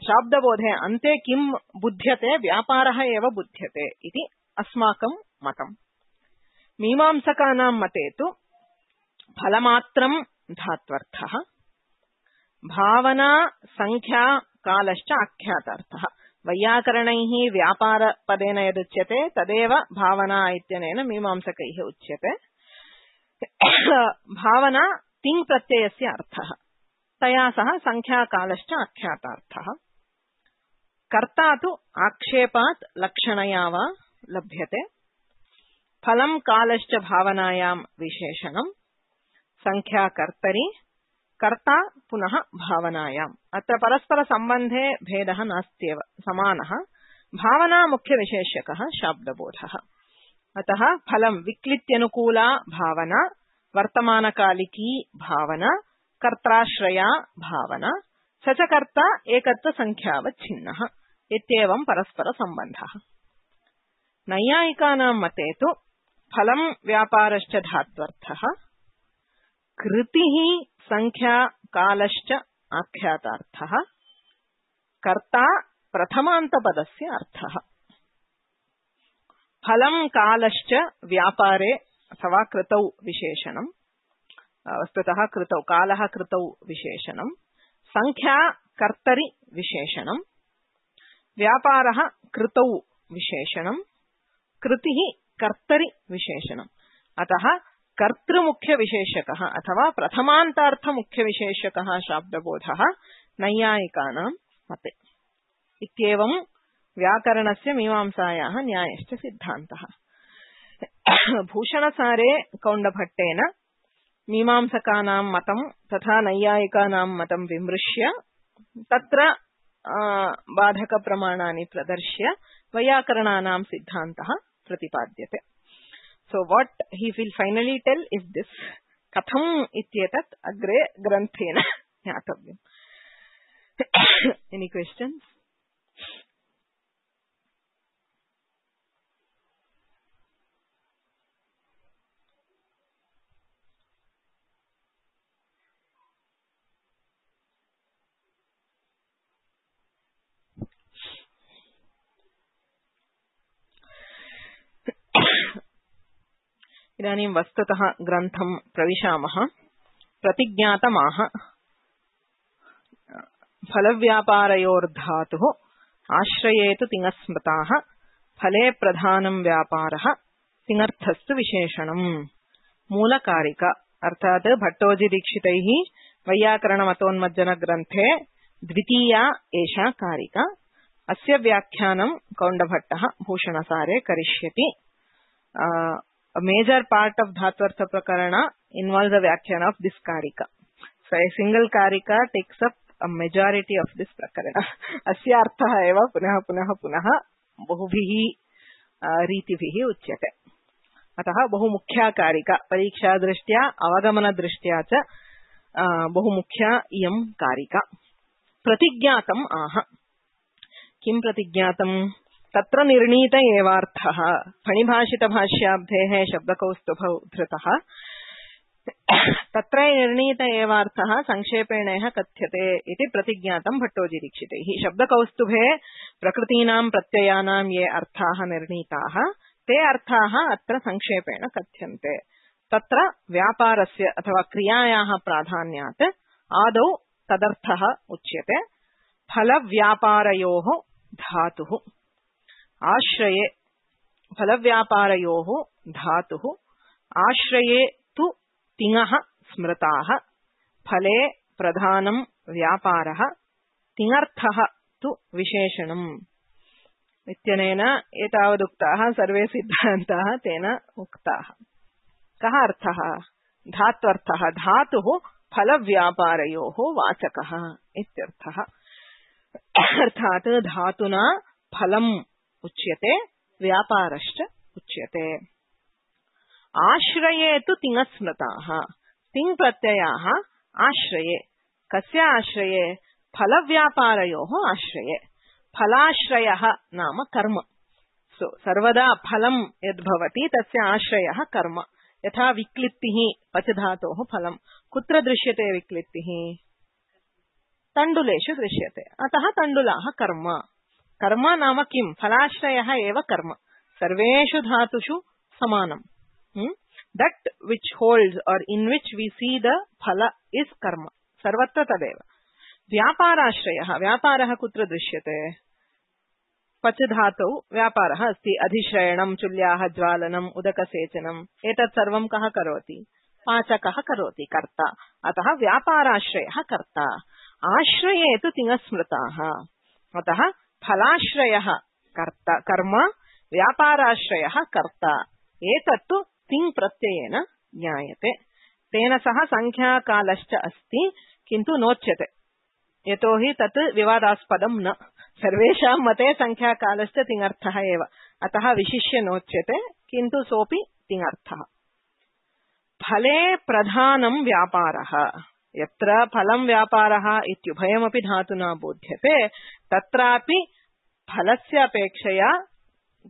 शाब्दबोधे अन्ते किं बुध्यते? व्यापारः एव बुध्यते इति अस्माकं मतम्। मीमांसकानां मते तु फलमात्रं धात्वर्थः, भावना संख्या कालश्च आख्यातार्थः। वैयाकरणैः व्यापारपदेन यदुच्यते तदेव भावना इत्यनेन मीमांसकैः उच्यते। भावना तिङ् प्रत्ययस्य अर्थः, तया सह संख्याकालश्च आख्यातार्थः। कर्ता तु आक्षेपात् लक्षणया वा लभ्यते। फलं कालश्च भावनायां विशेषणम्, संख्या कर्तरि, कर्ता पुनः भावनायाम्। अत्र परस्परसम्बन्धे भेदः नास्त्येव, समानः। भावना मुख्यविशेष्यकः शाब्दबोधः। अतः फलं विक्लित्यनुकूला भावना, वर्तमानकालिकी भावना, कर्त्राश्रया भावना, स च कर्ता एकत्वसंख्यावच्छिन्नः इत्येवं परस्परसम्बन्धः। नैयायिकानां मते तु फलं व्यापारश्च धात्वर्थः, कृतिः संख्या कालश्च आख्यातार्थः, कर्ता प्रथमान्तपदस्य अर्थः। फलं कालश्च व्यापारे अथवा कृतौ विशेषणम्, वस्तुतः कृतौ, कालः कृतौ विशेषणम्, संख्या कर्तरि विशेषणम्, व्यापारः कृतौ विशेषणम्, कृतिः कर्तरि विशेषणम्। अतः कर्तृमुख्यविशेषकः अथवा प्रथमान्तार्थमुख्यविशेषकः शाब्दबोधः नैयायिकानां मते। इत्येवं व्याकरणस्य मीमांसायाः न्यायश्च सिद्धान्तः। भूषणसारे कौण्डभट्टेन मीमांसकानां मतं तथा नैयायिकानां मतं विमृश्य तत्र बाधकप्रमाणानि प्रदर्श्य वैयाकरणानां सिद्धान्तः प्रतिपाद्यते। So what he will finally tell is this: कथम् इत्येतत् अग्रे ग्रन्थेन ज्ञातव्यम्। Any questions? इदानीं वस्तुतः ग्रन्थं प्रविशामः। प्रतिज्ञातमाह फलव्यापारयोर्धातुः आश्रयेतु तिङस्मृताः फले प्रधानं व्यापारः तिङर्थस्तु विशेषणम्। मूलकारिका अर्थात् भट्टोजी दीक्षितैः वैयाकरणमतोन्मज्जन ग्रन्थे द्वितीया एषा कारिका। अस्य व्याख्यानं कौण्डभट्टः भूषणसारे करिष्यति। A major part of Dhatvartha Prakarana involves the Vyakhyan of this Karika. So a single Karika takes up a majority of this Prakarana. Asya arthah eva punah punah punah bahubhiः रीतिभिः उच्यते। अतः बहुमुख्या कारिका परीक्षा दृष्ट्या अवगमन दृष्ट्या च बहुमुख्या इयं कारिका। प्रतिज्ञातम् आह। किं प्रतिज्ञातम्? तत्र निर्णीत एवार्थः फणिभाषितभाष्याब्धेः शब्दकौस्तुभौ धृतः। तत्र निर्णीत एवार्थः संक्षेपेणैः कथ्यते इति प्रतिज्ञातं भट्टोजी दीक्षितैः। शब्दकौस्तुभे प्रकृतीनां प्रत्ययानां ये अर्थाः निर्णीताः ते अर्थाः अत्र संक्षेपेण कथ्यन्ते। तत्र व्यापारस्य अथवा क्रियायाः प्राधान्यात् आदौ तदर्थः उच्यते। फलव्यापारयोः धातुः आश्रये फलव्यापारयोः धातुः आश्रये तु तिङः स्मृताः फले प्रधानं व्यापारः तिङर्थः तु विशेषणम्। इत्यनेन एतावदुक्ताः सर्वे सिद्धान्ताः तेन उक्ताः। कः अर्थः? धात्वर्थः। धातुः फलव्यापारयोः वाचकः इत्यर्थः। अर्थात् धातुना फलम् उच्यते व्यापारश्च उच्यते। आश्रये तु तिङस्मृताः। तिङ् प्रत्ययाः आश्रये। कस्य आश्रये? फलव्यापारयोः आश्रये। फलाश्रयः नाम कर्म। सर्वदा फलं यद्भवति तस्य आश्रयः कर्म। यथा विक्लित्तिः पच धातोः फलं। कुत्र दृश्यते विक्लित्तिः? तण्डुलेषु दृश्यते। अतः तण्डुलाः कर्म। कर्म नाम किं? फलाश्रयः एव कर्म। सर्वेषु धातुषु समानम्। That which holds or in which we see the phala is karma. सर्वत्र तदेव। व्यापाराश्रयः। व्यापारः कुत्र दृश्यते? पच धातौ व्यापारः अस्ति। अधिश्रयणं, चुल्याः ज्वालनम्, उदकसेचनम् एतत् सर्वं कः करोति? पाचकः करोति, कर्ता। अतः व्यापाराश्रयः कर्ता। आश्रये तु तिङस्मृताः। अतः फलाश्रयः कर्ता कर्म, व्यापाराश्रयः कर्ता। एतत्तु तिङ् प्रत्ययेन ज्ञायते। तेन सह संख्याकालश्च अस्ति किन्तु नोच्यते। यतोहि तत् विवादास्पदं न। सर्वेषां मते संख्याकालश्च तिङर्थः एव। अतः विशिष्य नोच्यते किन्तु सोऽपि तिङर्थः। फले प्रधानं व्यापारः। यत्र फलं व्यापारः इत्युभयमपि धातुना बोध्यते तत्रापि फलस्य अपेक्षया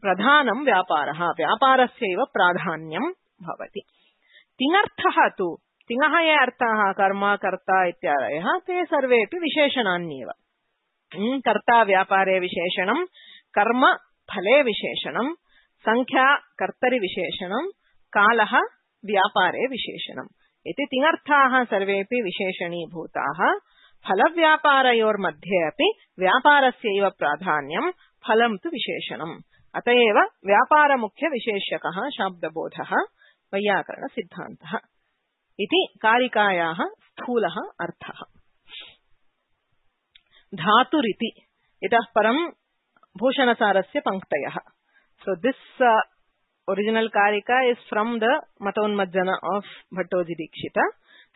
प्रधानं व्यापारः। व्यापारस्यैव प्राधान्यं भवति। तिङर्थः तु तिङः ये अर्थाः कर्म, कर्ता इत्यादयः ते सर्वेपि विशेषणान्येव। कर्ता व्यापारे विशेषणं, कर्म फले विशेषणं, संख्या कर्तरि विशेषणं, कालः व्यापारे विशेषणम् इति तिङर्थाः सर्वेपि विशेषणीभूताः। फलव्यापारयोर्मध्ये अपि व्यापारस्यैव प्राधान्यं, फलं तु विशेषणम्। अतएव व्यापारमुख्यविशेष्यकः शाब्दबोधः वैयाकरणसिद्धान्तः इति कारिकायाः स्थूलः अर्थः। धातुरिति इतः परं भूषणसारस्य पंक्तयः। So this original karika is from the Matonmajjana of Bhattoji Dikshita.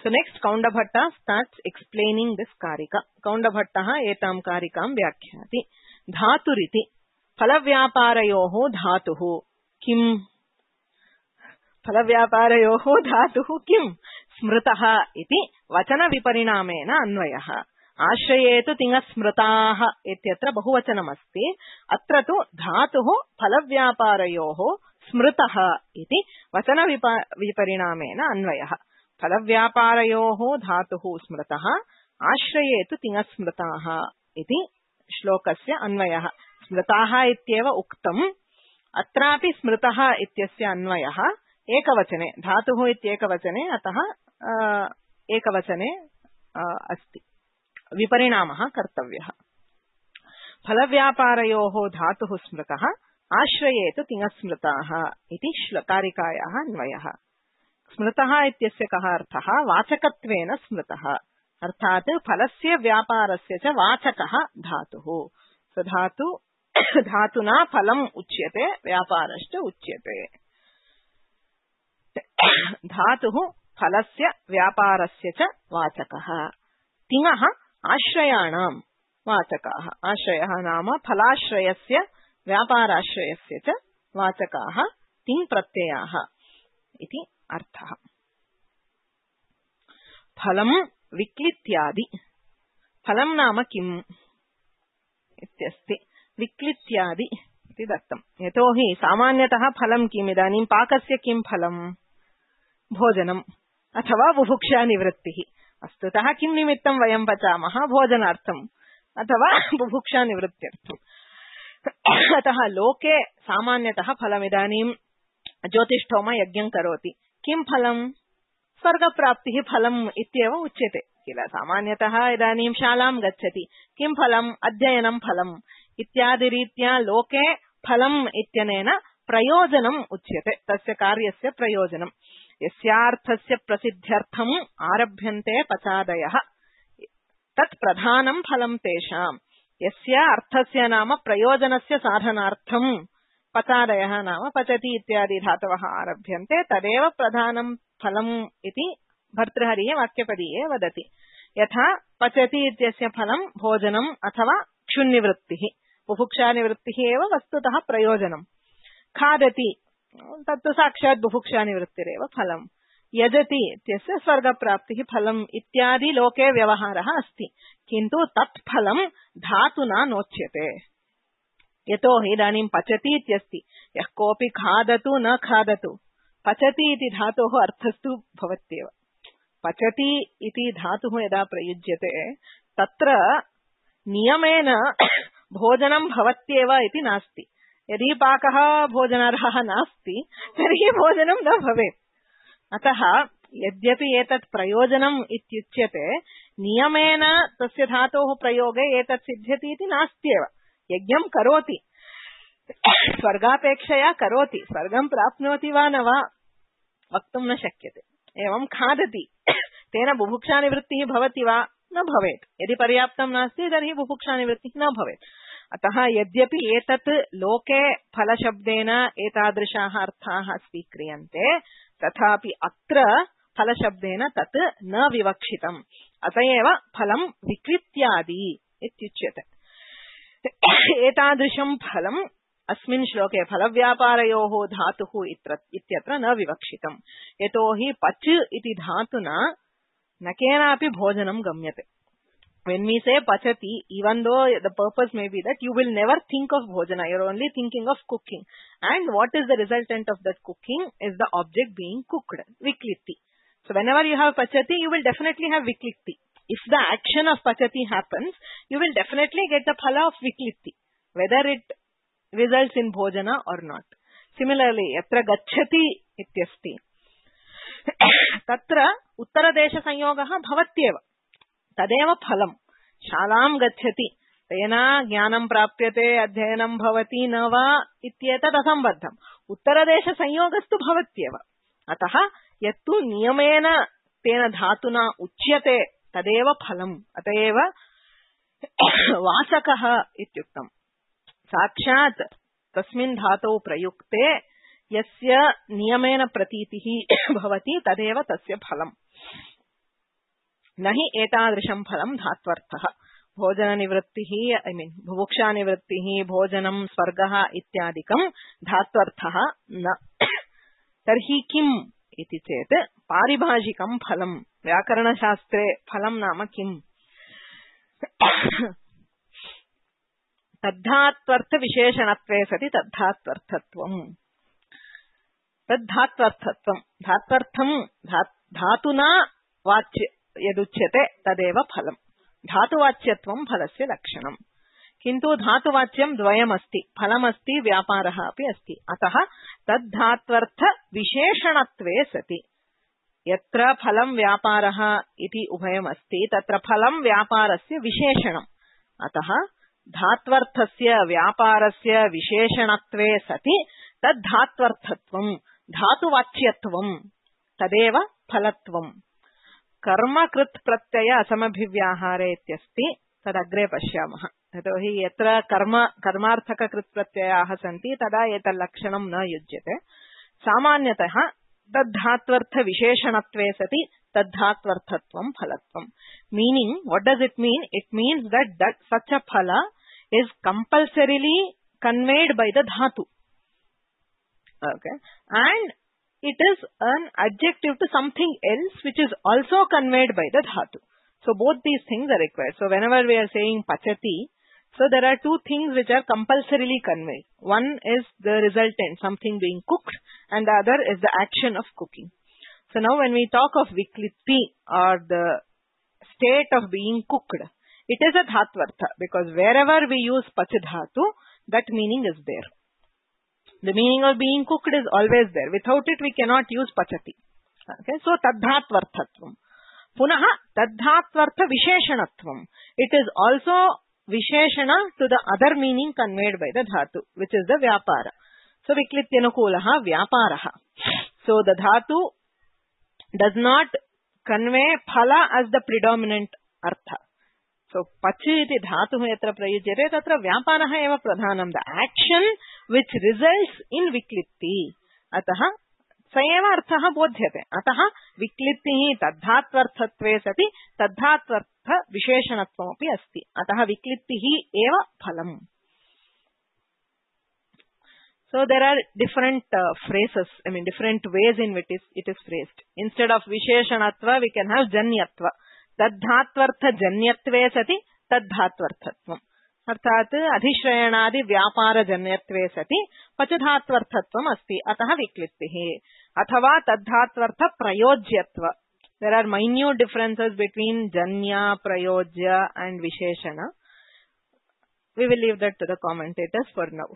So next Kaundabhatta starts explaining this karika. Kaundabhattaha etam karikam vyakhyati. Dhaturiti phalavyaparayoho dhatuhu kim? Phalavyaparayoho dhatuhu kim? Smritaha iti vachana viparinamena अन्वयः। आश्रयेतु तिङस्मृताः इत्यत्र बहुवचनमस्ति। अत्र तु धातुः फलव्यापारयोः स्मृतः इति वचन विपरिणामेन अन्वयः। फलव्यापारयोः धातुः स्मृतः, आश्रयेतु तिङस्मृताः इति श्लोकस्य अन्वयः। स्मृताः इत्येव उक्तम्, अत्रापि स्मृतः इत्यस्य अन्वयः एकवचने, धातुः इत्येकवचने, अतः एकवचने अस्ति। विपरिणामः कर्तव्यः। फलव्यापारयोः धातुः स्मृतः, आश्रयेतु तिङस्मृताः इति कारिकायाः अन्वयः। स्मृतः इत्यस्य कः अर्थः? वाचकत्वेन स्मृतः, अर्थात् फलस्य व्यापारस्य च वाचकः धातुः। स धातुना फलम् उच्यते, व्यापारश्च उच्यते। धातुः फलस्य व्यापारस्य च वाचकः। तिङः आश्रयाणां वाचकाः। आश्रयः नाम फलाश्रयस्य व्यापाराश्रयस्य च वाचकाः तिङ् प्रत्ययाः इति अर्थः। फलं विक्लित्यादि। फलं नाम किम् इत्यस्ति। विक्लित्यादि इति दत्तम्। यतोहि सामान्यतः फलं किम्? इदानीं पाकस्य किं फलं? भोजनम् अथवा बुभुक्षा निवृत्तिः। वस्तुतः किं निमित्तं वयं पचामः? भोजनार्थम् अथवा बुभुक्षा निवृत्त्यर्थम्। अतः लोके सामान्यतः फलम्, इदानीं ज्योतिष्ठोम यज्ञं करोति, किं फलं? स्वर्गप्राप्तिः फलम् इत्येव उच्यते किल। सामान्यतः इदानीं शालां गच्छति, किं फलम्? अध्ययनं फलम् इत्यादिरीत्या लोके फलम् इत्यनेन प्रयोजनम् उच्यते, तस्य कार्यस्य प्रयोजनम्। यस्यार्थस्य प्रसिद्ध्यर्थम् आरभ्यन्ते पचादयः तत् प्रधानं फलं तेषाम्। यस्य अर्थस्य नाम प्रयोजनस्य साधनार्थम् पचादयः नाम पचति इत्यादि धातवः आरभ्यन्ते, तदेव प्रधानं फलम् इति भर्तृहरिः वाक्यपदीये वदति। यथा पचति इत्यस्य फलं भोजनम् अथवा क्षुन्निवृत्तिः, बुभुक्षानिवृत्तिः एव वस्तुतः प्रयोजनम्। खादति तत्तु साक्षात् बुभुक्षानिवृत्तिरेव फलम्। यजति इत्यस्य स्वर्गप्राप्तिः फलम् इत्यादि लोके व्यवहारः अस्ति, किन्तु तत् फलं धातुना नोच्यते। यतोहि इदानीं पचति इत्यस्ति, यः कोऽपि खादतु न खादतु, पचति इति धातोः अर्थस्तु भवत्येव। पचति इति धातुः यदा प्रयुज्यते तत्र नियमेन भोजनं भवत्येव इति नास्ति। यदि पाकः भोजनार्हः नास्ति तर्हि भोजनं न भवेत्। अतः यद्यपि एतत् प्रयोजनम् इत्युच्यते, नियमेन तस्य धातोः प्रयोगे एतत् सिद्ध्यति इति नास्त्येव। यज्ञं करोति, स्वर्गापेक्षया करोति, स्वर्गं प्राप्नोति वा न वा वक्तुं न शक्यते। एवं खादति, तेन बुभुक्षानिवृत्तिः भवति वा? न भवेत्। यदि पर्याप्तं नास्ति तर्हि बुभुक्षानिवृत्तिः न भवेत्। अतः यद्यपि एतत् लोके फलशब्देन एतादृशाः अर्थाः स्वीक्रियन्ते, तथापि अत्र फलशब्देन तत् न विवक्षितम्। अत एव फलं विक्लित्यादि इत्युच्यते। एतादृशं फलम् अस्मिन् श्लोके फलव्यापारयोः धातुः इत्यत्र न विवक्षितम्। यतोहि पच् इति धातुना न केनापि भोजनं गम्यते। When we say pachati, even though the purpose may be that you will never think of bhojana, you are only thinking of cooking. And what is the resultant of that cooking is the object being cooked, viklitti. So whenever you have pachati, you will definitely have viklitti. If the action of pachati happens, you will definitely get the phala of viklitti, whether it results in bhojana or not. Similarly, yatra gacchati ityasti. Tatra uttaradesh sanyogah bhavatyeva. तदेव फलम्। शालां गच्छति, तेन ज्ञानं प्राप्यते अध्ययनं भवति न वा इत्येतत् असम्बद्धम् उत्तरदेशसंयोगस्तु भवत्येव अतः यत्तु नियमेन तेन धातुना उच्यते तदेव फलम् अतएव वाचकः इत्युक्तम् साक्षात् तस्मिन् धातौ प्रयुक्ते यस्य नियमेन प्रतीतिः भवति तदेव तस्य फलम् न हि एतादृशं फलं धात्वर्थः भोजननिवृत्तिः बुभुक्षानिवृत्तिः भोजनं स्वर्गः इत्यादिकं धात्वर्थः न तर्हि किम् इति चेत् पारिभाषिकं फलं व्याकरणशास्त्रे फलं नाम किम् तद्धात्वर्थविशेषणत्वे सति तद्धात्वर्थत्वम् धात्वर्थं धातुना वाच्य यदुच्यते तदेव फलम् धातुवाच्यत्वं फलस्य लक्षणम् किन्तु धातुवाच्यं द्वयमस्ति फलमस्ति व्यापारः अपि अस्ति अतः तद्धात्वर्थविशेषणत्वे सति यत्र फलं व्यापारः इति उभयमस्ति तत्र फलं व्यापारस्य विशेषणम् अतः धात्वर्थस्य व्यापारस्य विशेषणत्वे सति तद्धात्वर्थत्वं धातुवाच्यत्वं तदेव फलत्वम् कर्मकृत् प्रत्यय असमभिव्याहारे इत्यस्ति तदग्रे पश्यामः यतोहि यत्र कर्मार्थककृत् प्रत्ययाः सन्ति तदा एतल्लक्षणं न युज्यते सामान्यतः तद्धात्वर्थविशेषणत्वे सति तद्धात्वर्थत्वं फलत्वम् meaning what does it mean it means that such a phala is compulsorily conveyed by the dhatu okay and it is an adjective to something else which is also conveyed by the dhatu. So both these things are required. So whenever we are saying pachati, so there are two things which are compulsorily conveyed. One is the resultant, something being cooked, and the other is the action of cooking. So now when we talk of viklitti or the state of being cooked, it is a dhatvartha because wherever we use pachadhatu, that meaning is there. The meaning of being cooked is always there. Without it, we cannot use pachati. Okay, so tadhatvarthatvam. Punaha tadhatvartha visheshanatvam. It is also visheshana to the other meaning conveyed by the dhatu, which is the vyapara. So viklityanukulaha vyaparaha. So the dhatu does not convey phala as the predominant artha. So pachi iti dhatu yatra prayujyate tatra vyaparaha eva pradhanam. The action which results in viklitti. Ataha सएव अर्थः बोध्यते अतः विक्लित्तिः तद्धात्वर्थत्वे सति तद्धात्वर्थ विशेषणत्वमपि अस्ति अतः विक्लित्तिः एव फलम्. So there are different phrases, different ways in which it is phrased. Instead of visheshanatva, we can have janyatva. Tadhatvartha janyatve sati tadhatvarthatvam. अर्थात अधिश्रयणादि व्यापार जन्यत्वे सति पचधात्वर्थत्वम् अस्ति अतः विक्लित्तिः अथवा तद्धात्वर्थ प्रयोज्यत्व. There are minute differences between janya, prayojya and visheshana. We will leave that to the commentators for now.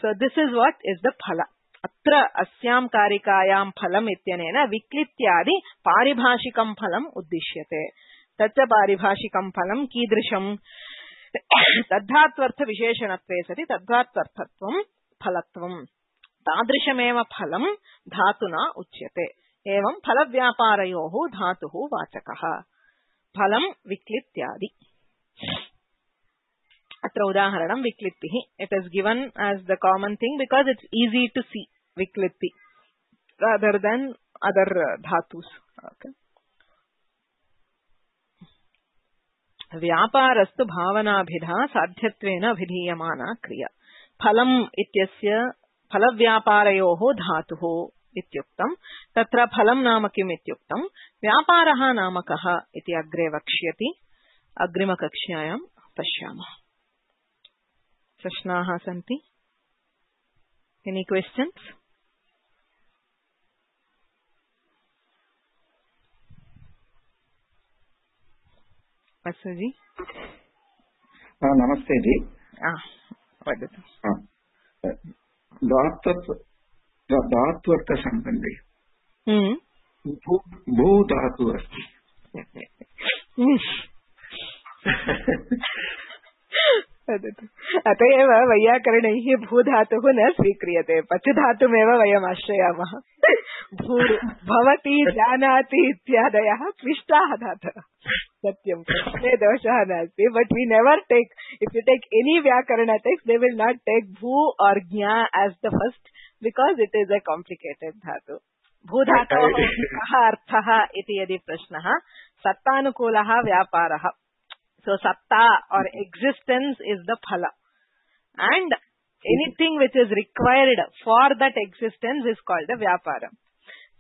So this is what is the phala. अत्र अस्यां कारिकायां फलम् इत्यनेन विक्लित्यादि पारिभाषिकं फलम् उद्दिश्यते. तच्च पारिभाषिकं फलं कीदृशम् तद्धात्वर्थ विशेषणत्वे सति तद्धात्वर्थत्वं फलत्वम्. तादृशमेव फलं धातुना उच्यते. एवं फलव्यापारयोः धातुः वाचकः. फलं विक्लित्यादि. अत्र उदाहरणं विक्लित्तिः. It is given as the common thing because it's easy to see viklitti rather than other dhatus. Okay. व्यापारस्तु भावनाभिधा साध्यत्वेन अभिधीयमाना क्रिया. फलम् इत्यस्य फलव्यापारयोः धातुः इत्युक्तम्. तत्र फलं नाम किम् इत्युक्तम्. व्यापारः नाम कः इति अग्रे वक्ष्यति. अग्रिमकक्ष्यायां पश्यामः. प्रश्नाः सन्ति? Any questions? जी नमस्ते जी. वदतु. धात्वर्थ सम्बन्धे भू धातु अस्ति. अत एव वैयाकरणैः भूधातुः न स्वीक्रियते, पचुधातुमेव वयम् आश्रयामः. भवति, जानाति इत्यादयः क्लिष्टाः धातवः. सत्यं प्रश्ने दोषः नास्ति, but we never take, if you take any व्याकरण text they will not take भू और ज्ञा as the first because it is a complicated धातु. भूधातोः कः अर्थः इति यदि प्रश्नः, सत्तानुकूलः व्यापारः. So satta or existence is the phala, and anything which is required for that existence is called the vyapara.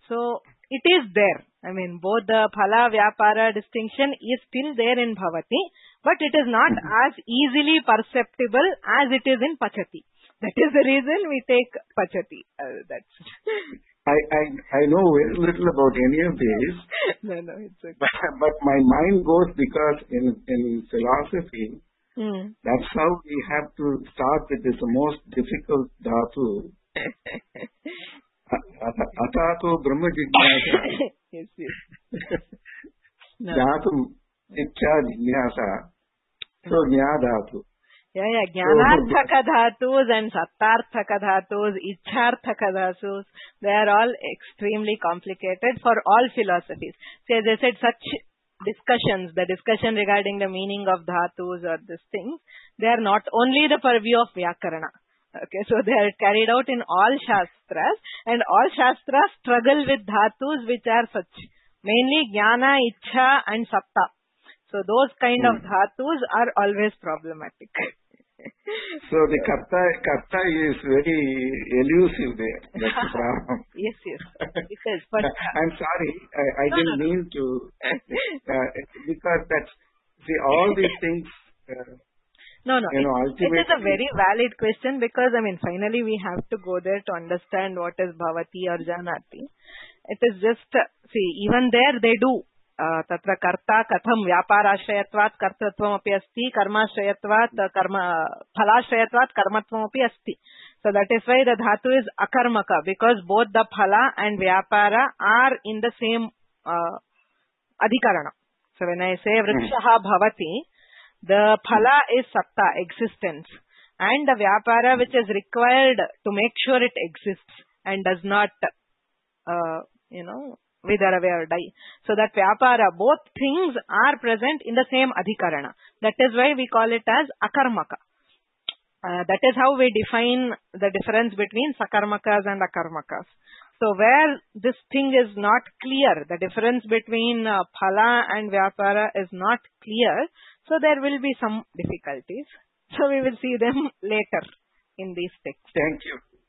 So it is there. I mean, both the phala vyapara distinction is still there in bhavati, but it is not as easily perceptible as it is in pachati. That is the reason we take pachati. That's I know very little about any of these. No, it's okay. But my mind goes because in philosophy, that's how we have to start with this most difficult dhatu. Atato Brahma Jignasa. Yes. Dhatu Ichcha Jignasa. So Jnana dhatu. Yeah. Jnanarthaka dhatus and sattarthaka dhatus, ichcharthaka dhatus, they are all extremely complicated for all philosophies. So as I said, such discussions, the discussion regarding the meaning of dhatus or this thing, they are not only the purview of Vyakarana. Okay, so they are carried out in all Shastras, and all Shastras struggle with dhatus which are such. Mainly Jnana, Ichcha and Satta. So those kind of dhatus are always problematic. So the karta is very elusive there. That's the problem. Yes. It is. But I'm sorry, I didn't mean to. Because that's, see, all these things. No. Ultimately, it is a very valid question because, I mean, finally we have to go there to understand what is bhavati or janati. It is just, see, even there they do. तत्र कर्ता कथं व्यापाराश्रयत्वात् कर्तृत्वमपि अस्ति, कर्माश्रयत्वात् फलाश्रयत्वात् कर्मत्वमपि अस्ति. So that is why the dhatu is akarmaka, because both the phala and vyapara are in the same adhikarana. So when I say vrikshaha bhavati, the phala is satta, existence, and the vyapara which is required to make sure it exists and does not wither away or die. So that vyapara, both things are present in the same adhikarana. That is why we call it as akarmaka. That is how we define the difference between sakarmakas and akarmakas. So where this thing is not clear, the difference between phala and vyapara is not clear, so there will be some difficulties. So we will see them later in these texts.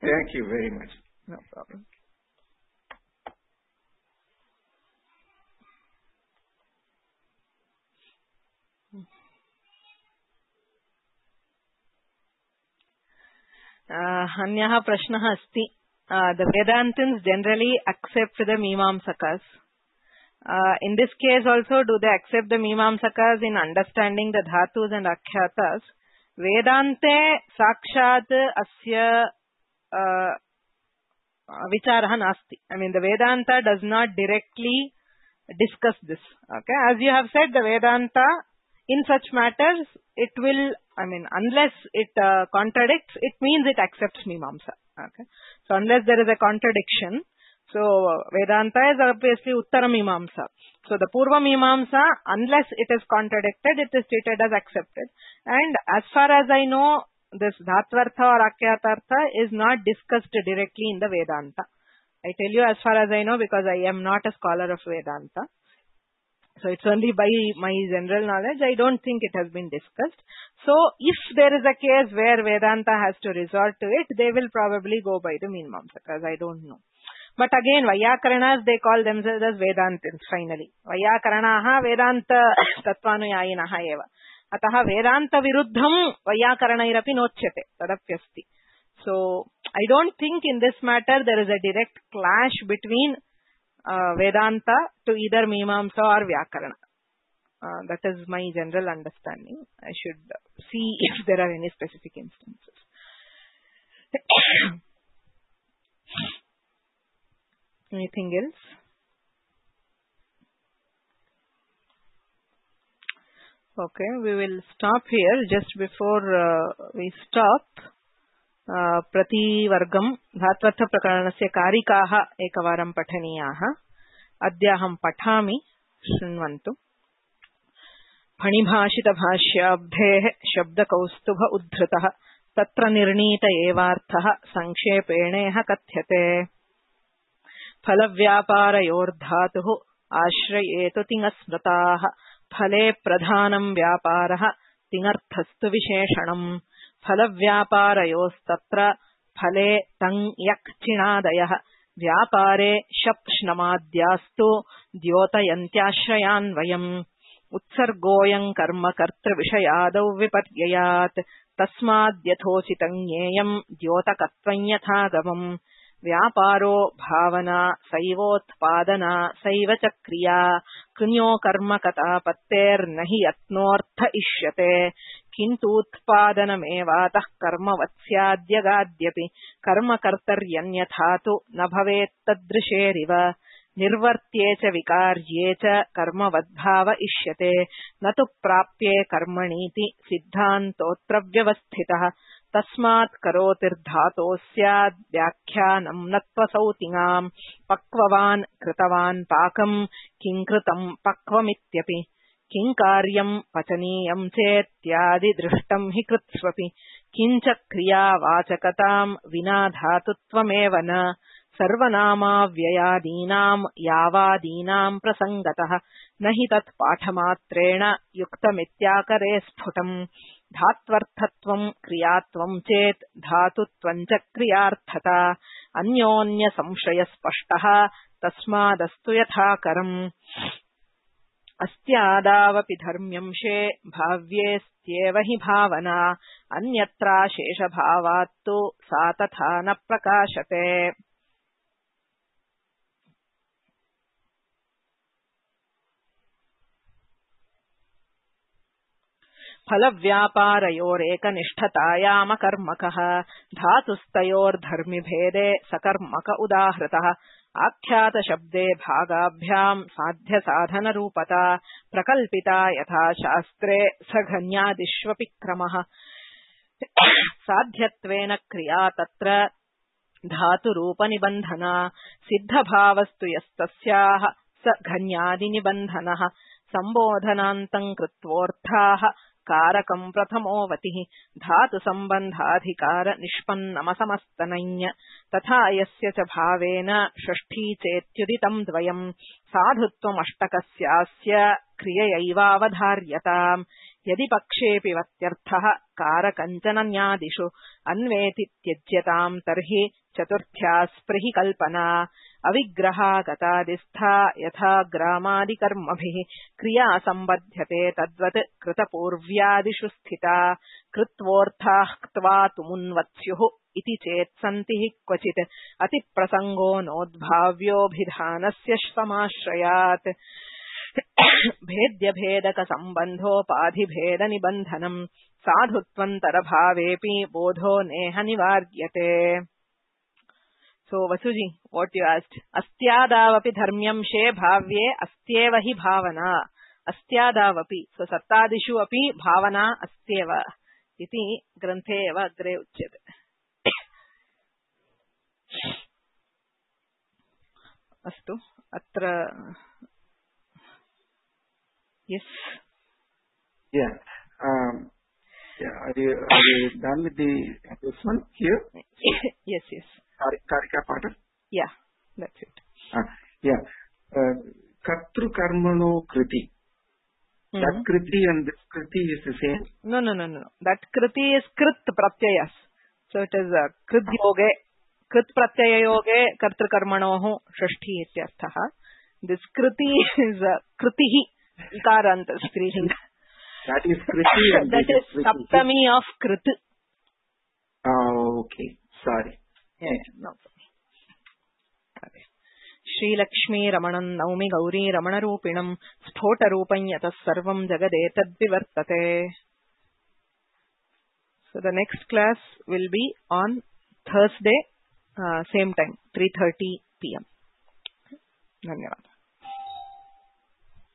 Thank you very much. No problem. अन्यः प्रश्नः अस्ति. The Vedantins generally accept the Mimamsakas. In this case also, do they accept the Mimamsakas in understanding the Dhatus and Akhyatas? Vedante Sakshat Asya Vicharah Nasti. I mean, the Vedanta does not directly discuss this. Okay, as you have said, the Vedanta in such matters, it will, I mean, unless it contradicts, it means it accepts Mimamsa. Okay. So unless there is a contradiction, so Vedanta is obviously Uttara Mimamsa. So the Purva Mimamsa, unless it is contradicted, it is treated as accepted. And as far as I know, this Dhatvartha or Akyatartha is not discussed directly in the Vedanta. I tell you as far as I know because I am not a scholar of Vedanta. So it's only by my general knowledge. I don't think it has been discussed. So if there is a case where Vedanta has to resort to it, they will probably go by the Mimamsakas. I don't know. But again, Vayakaranas, they call themselves as Vedantins finally. Vayakaranaha Vedanta Tatvanuyayinaha eva. Ataha Vedanta Viruddham Vayakaranayrapi nochyate. Tadapyasti. So I don't think in this matter there is a direct clash between Vedanta to either Mimamsa or Vyakarana. That is my general understanding. I should see if there are any specific instances. Anything else? Okay, we will stop here. Just before we stop, प्रतिवर्गं धात्वर्थप्रकरणस्य कारिकाः एकवारं पठनीयाः. अद्याहं पठामि, शृण्वन्तु. फणिभाषितभाष्याब्धेः शब्दकौस्तुभ उद्धृतः तत्र निर्णीत एवार्थः संक्षेपेणेह कथ्यते. फलव्यापारयोर्धातुः आश्रयेतु तिङस्मृताः फले प्रधानं व्यापारः तिङर्थस्तु विशेषणम्. फलव्यापारयोस्तत्र फले तङ् यक् चिणादयः व्यापारे शप् श्नमाद्यास्तु द्योतयन्त्याश्रयान्वयम्. उत्सर्गोऽयं कर्म कर्तृविषयादौ विपर्ययात् तस्माद्यथोचितं ज्ञेयं द्योतकत्वं यथागमम्. व्यापारो भावना सैवोत्पादना सैव च क्रिया कृन्यो कर्म कथापत्तेर्न हि यत्नोऽर्थ इष्यते. किन्तूत्पादनमेवातः कर्मवत् स्याद्यगाद्यपि कर्मकर्तर्यन्यथा तु न भवेत्तदृशेरिव. निर्वर्त्ये च विकार्ये च कर्मवद्भाव इष्यते न तु प्राप्ये कर्मणीति सिद्धान्तोऽत्र व्यवस्थितः. तस्मात् करोतिर्धातोः स्याद् व्याख्यानं न त्वसौतिङाम्. पक्ववान् कृतवान् पाकम् किं कृतं पक्वमित्यपि. किं कार्यं पचनीयं चेत्यादि दृष्टं हि कृत्स्वपि. किञ्च क्रियावाचकतां विना धातुत्वमेव न. सर्वनामाव्ययादीनां यावादीनां प्रसङ्गतः न हि तत् पाठमात्रेण युक्तमित्याकरे स्फुटम्. धात्वर्थत्वं क्रियात्वं चेत् धातुत्वं च क्रियार्थता. अन्योन्य संशय स्पष्टः तस्मादस्तु यथाकरम्. अस्त्यादावपि धर्म्यंशे भाव्येस्त्येव हि भावना. अन्यत्राशेषभावात्तु सा तथा न प्रकाशते. फलव्यापारयोरेकनिष्ठतायामकर्मकः धातुस्तयोर्धर्मिभेदे सकर्मक उदाहृतः. आख्यातशब्दे भागाभ्यां साध्यसाधनरूपता प्रकल्पिता यथा शास्त्रे सघन्यादिष्वपि क्रमः. साध्यत्वेन क्रिया तत्र धातुरूपनिबन्धना. सिद्धभावस्तु यस्तस्याः स घन्यादिनिबन्धनः. सम्बोधनान्तं कृत्वोऽर्थाः कारकं प्रथमोऽवतिः. धातुसम्बन्धाधिकार निष्पन्नमसमस्तनञ्. तथा यस्य च भावेन षष्ठी चेत्युदितं द्वयम्. साधुत्वमष्टकस्यास्य क्रिययैवावधार्यताम्. यदि पक्षेऽपि वत्यर्थः कारकञ्चनन्यादिषु अन्वेति त्यज्यताम् तर्हि चतुर्थ्या स्पृहि कल्पना. अविग्रहागतादिस्था यथा ग्रामादिकर्मभिः क्रिया सम्बध्यते तद्वत् कृतपूर्व्यादिषु स्थिता. कृत्वोऽर्थाः क्त्वा तुमुन्वत्स्युः इति चेत् सन्ति हि क्वचित्. अतिप्रसङ्गो नोद्भाव्योऽभिधानस्य समाश्रयात्. भेद्यभेदकसम्बन्धोपाधिभेदनिबन्धनम्. साधुत्वन्तरभावेऽपि बोधो नेह निवार्यते. So Vasuji, what you asked? Astyadavapi dharmyamshe bhavye astyeva hi bhavana. Astyadavapi. So sattadishu api bhavana astyeva. Iti granthe eva agre uchyate. Astu. Atra. Yes. Yeah. Are you done with this one here? Yes, yes. Karika Pata? Yeah, that's it. Yeah. Kartru karmano kriti. That kriti and this kriti is the same? No. That kriti is krit pratyayas. So it is krit yoge, krit pratyaya yoge kartru karmanoh shashti ityarthaha. This kriti is kritihi ikarant strihi. That is kriti and that is saptami of krit. Okay. Sorry. No. श्रीलक्ष्मी रमणं नौमि गौरी रमणरूपिणं स्फोटरूपं यतः सर्वं जगदेतद्विवर्तते. So the next class will be on Thursday, same time, 3:30 p.m. धन्यवाद.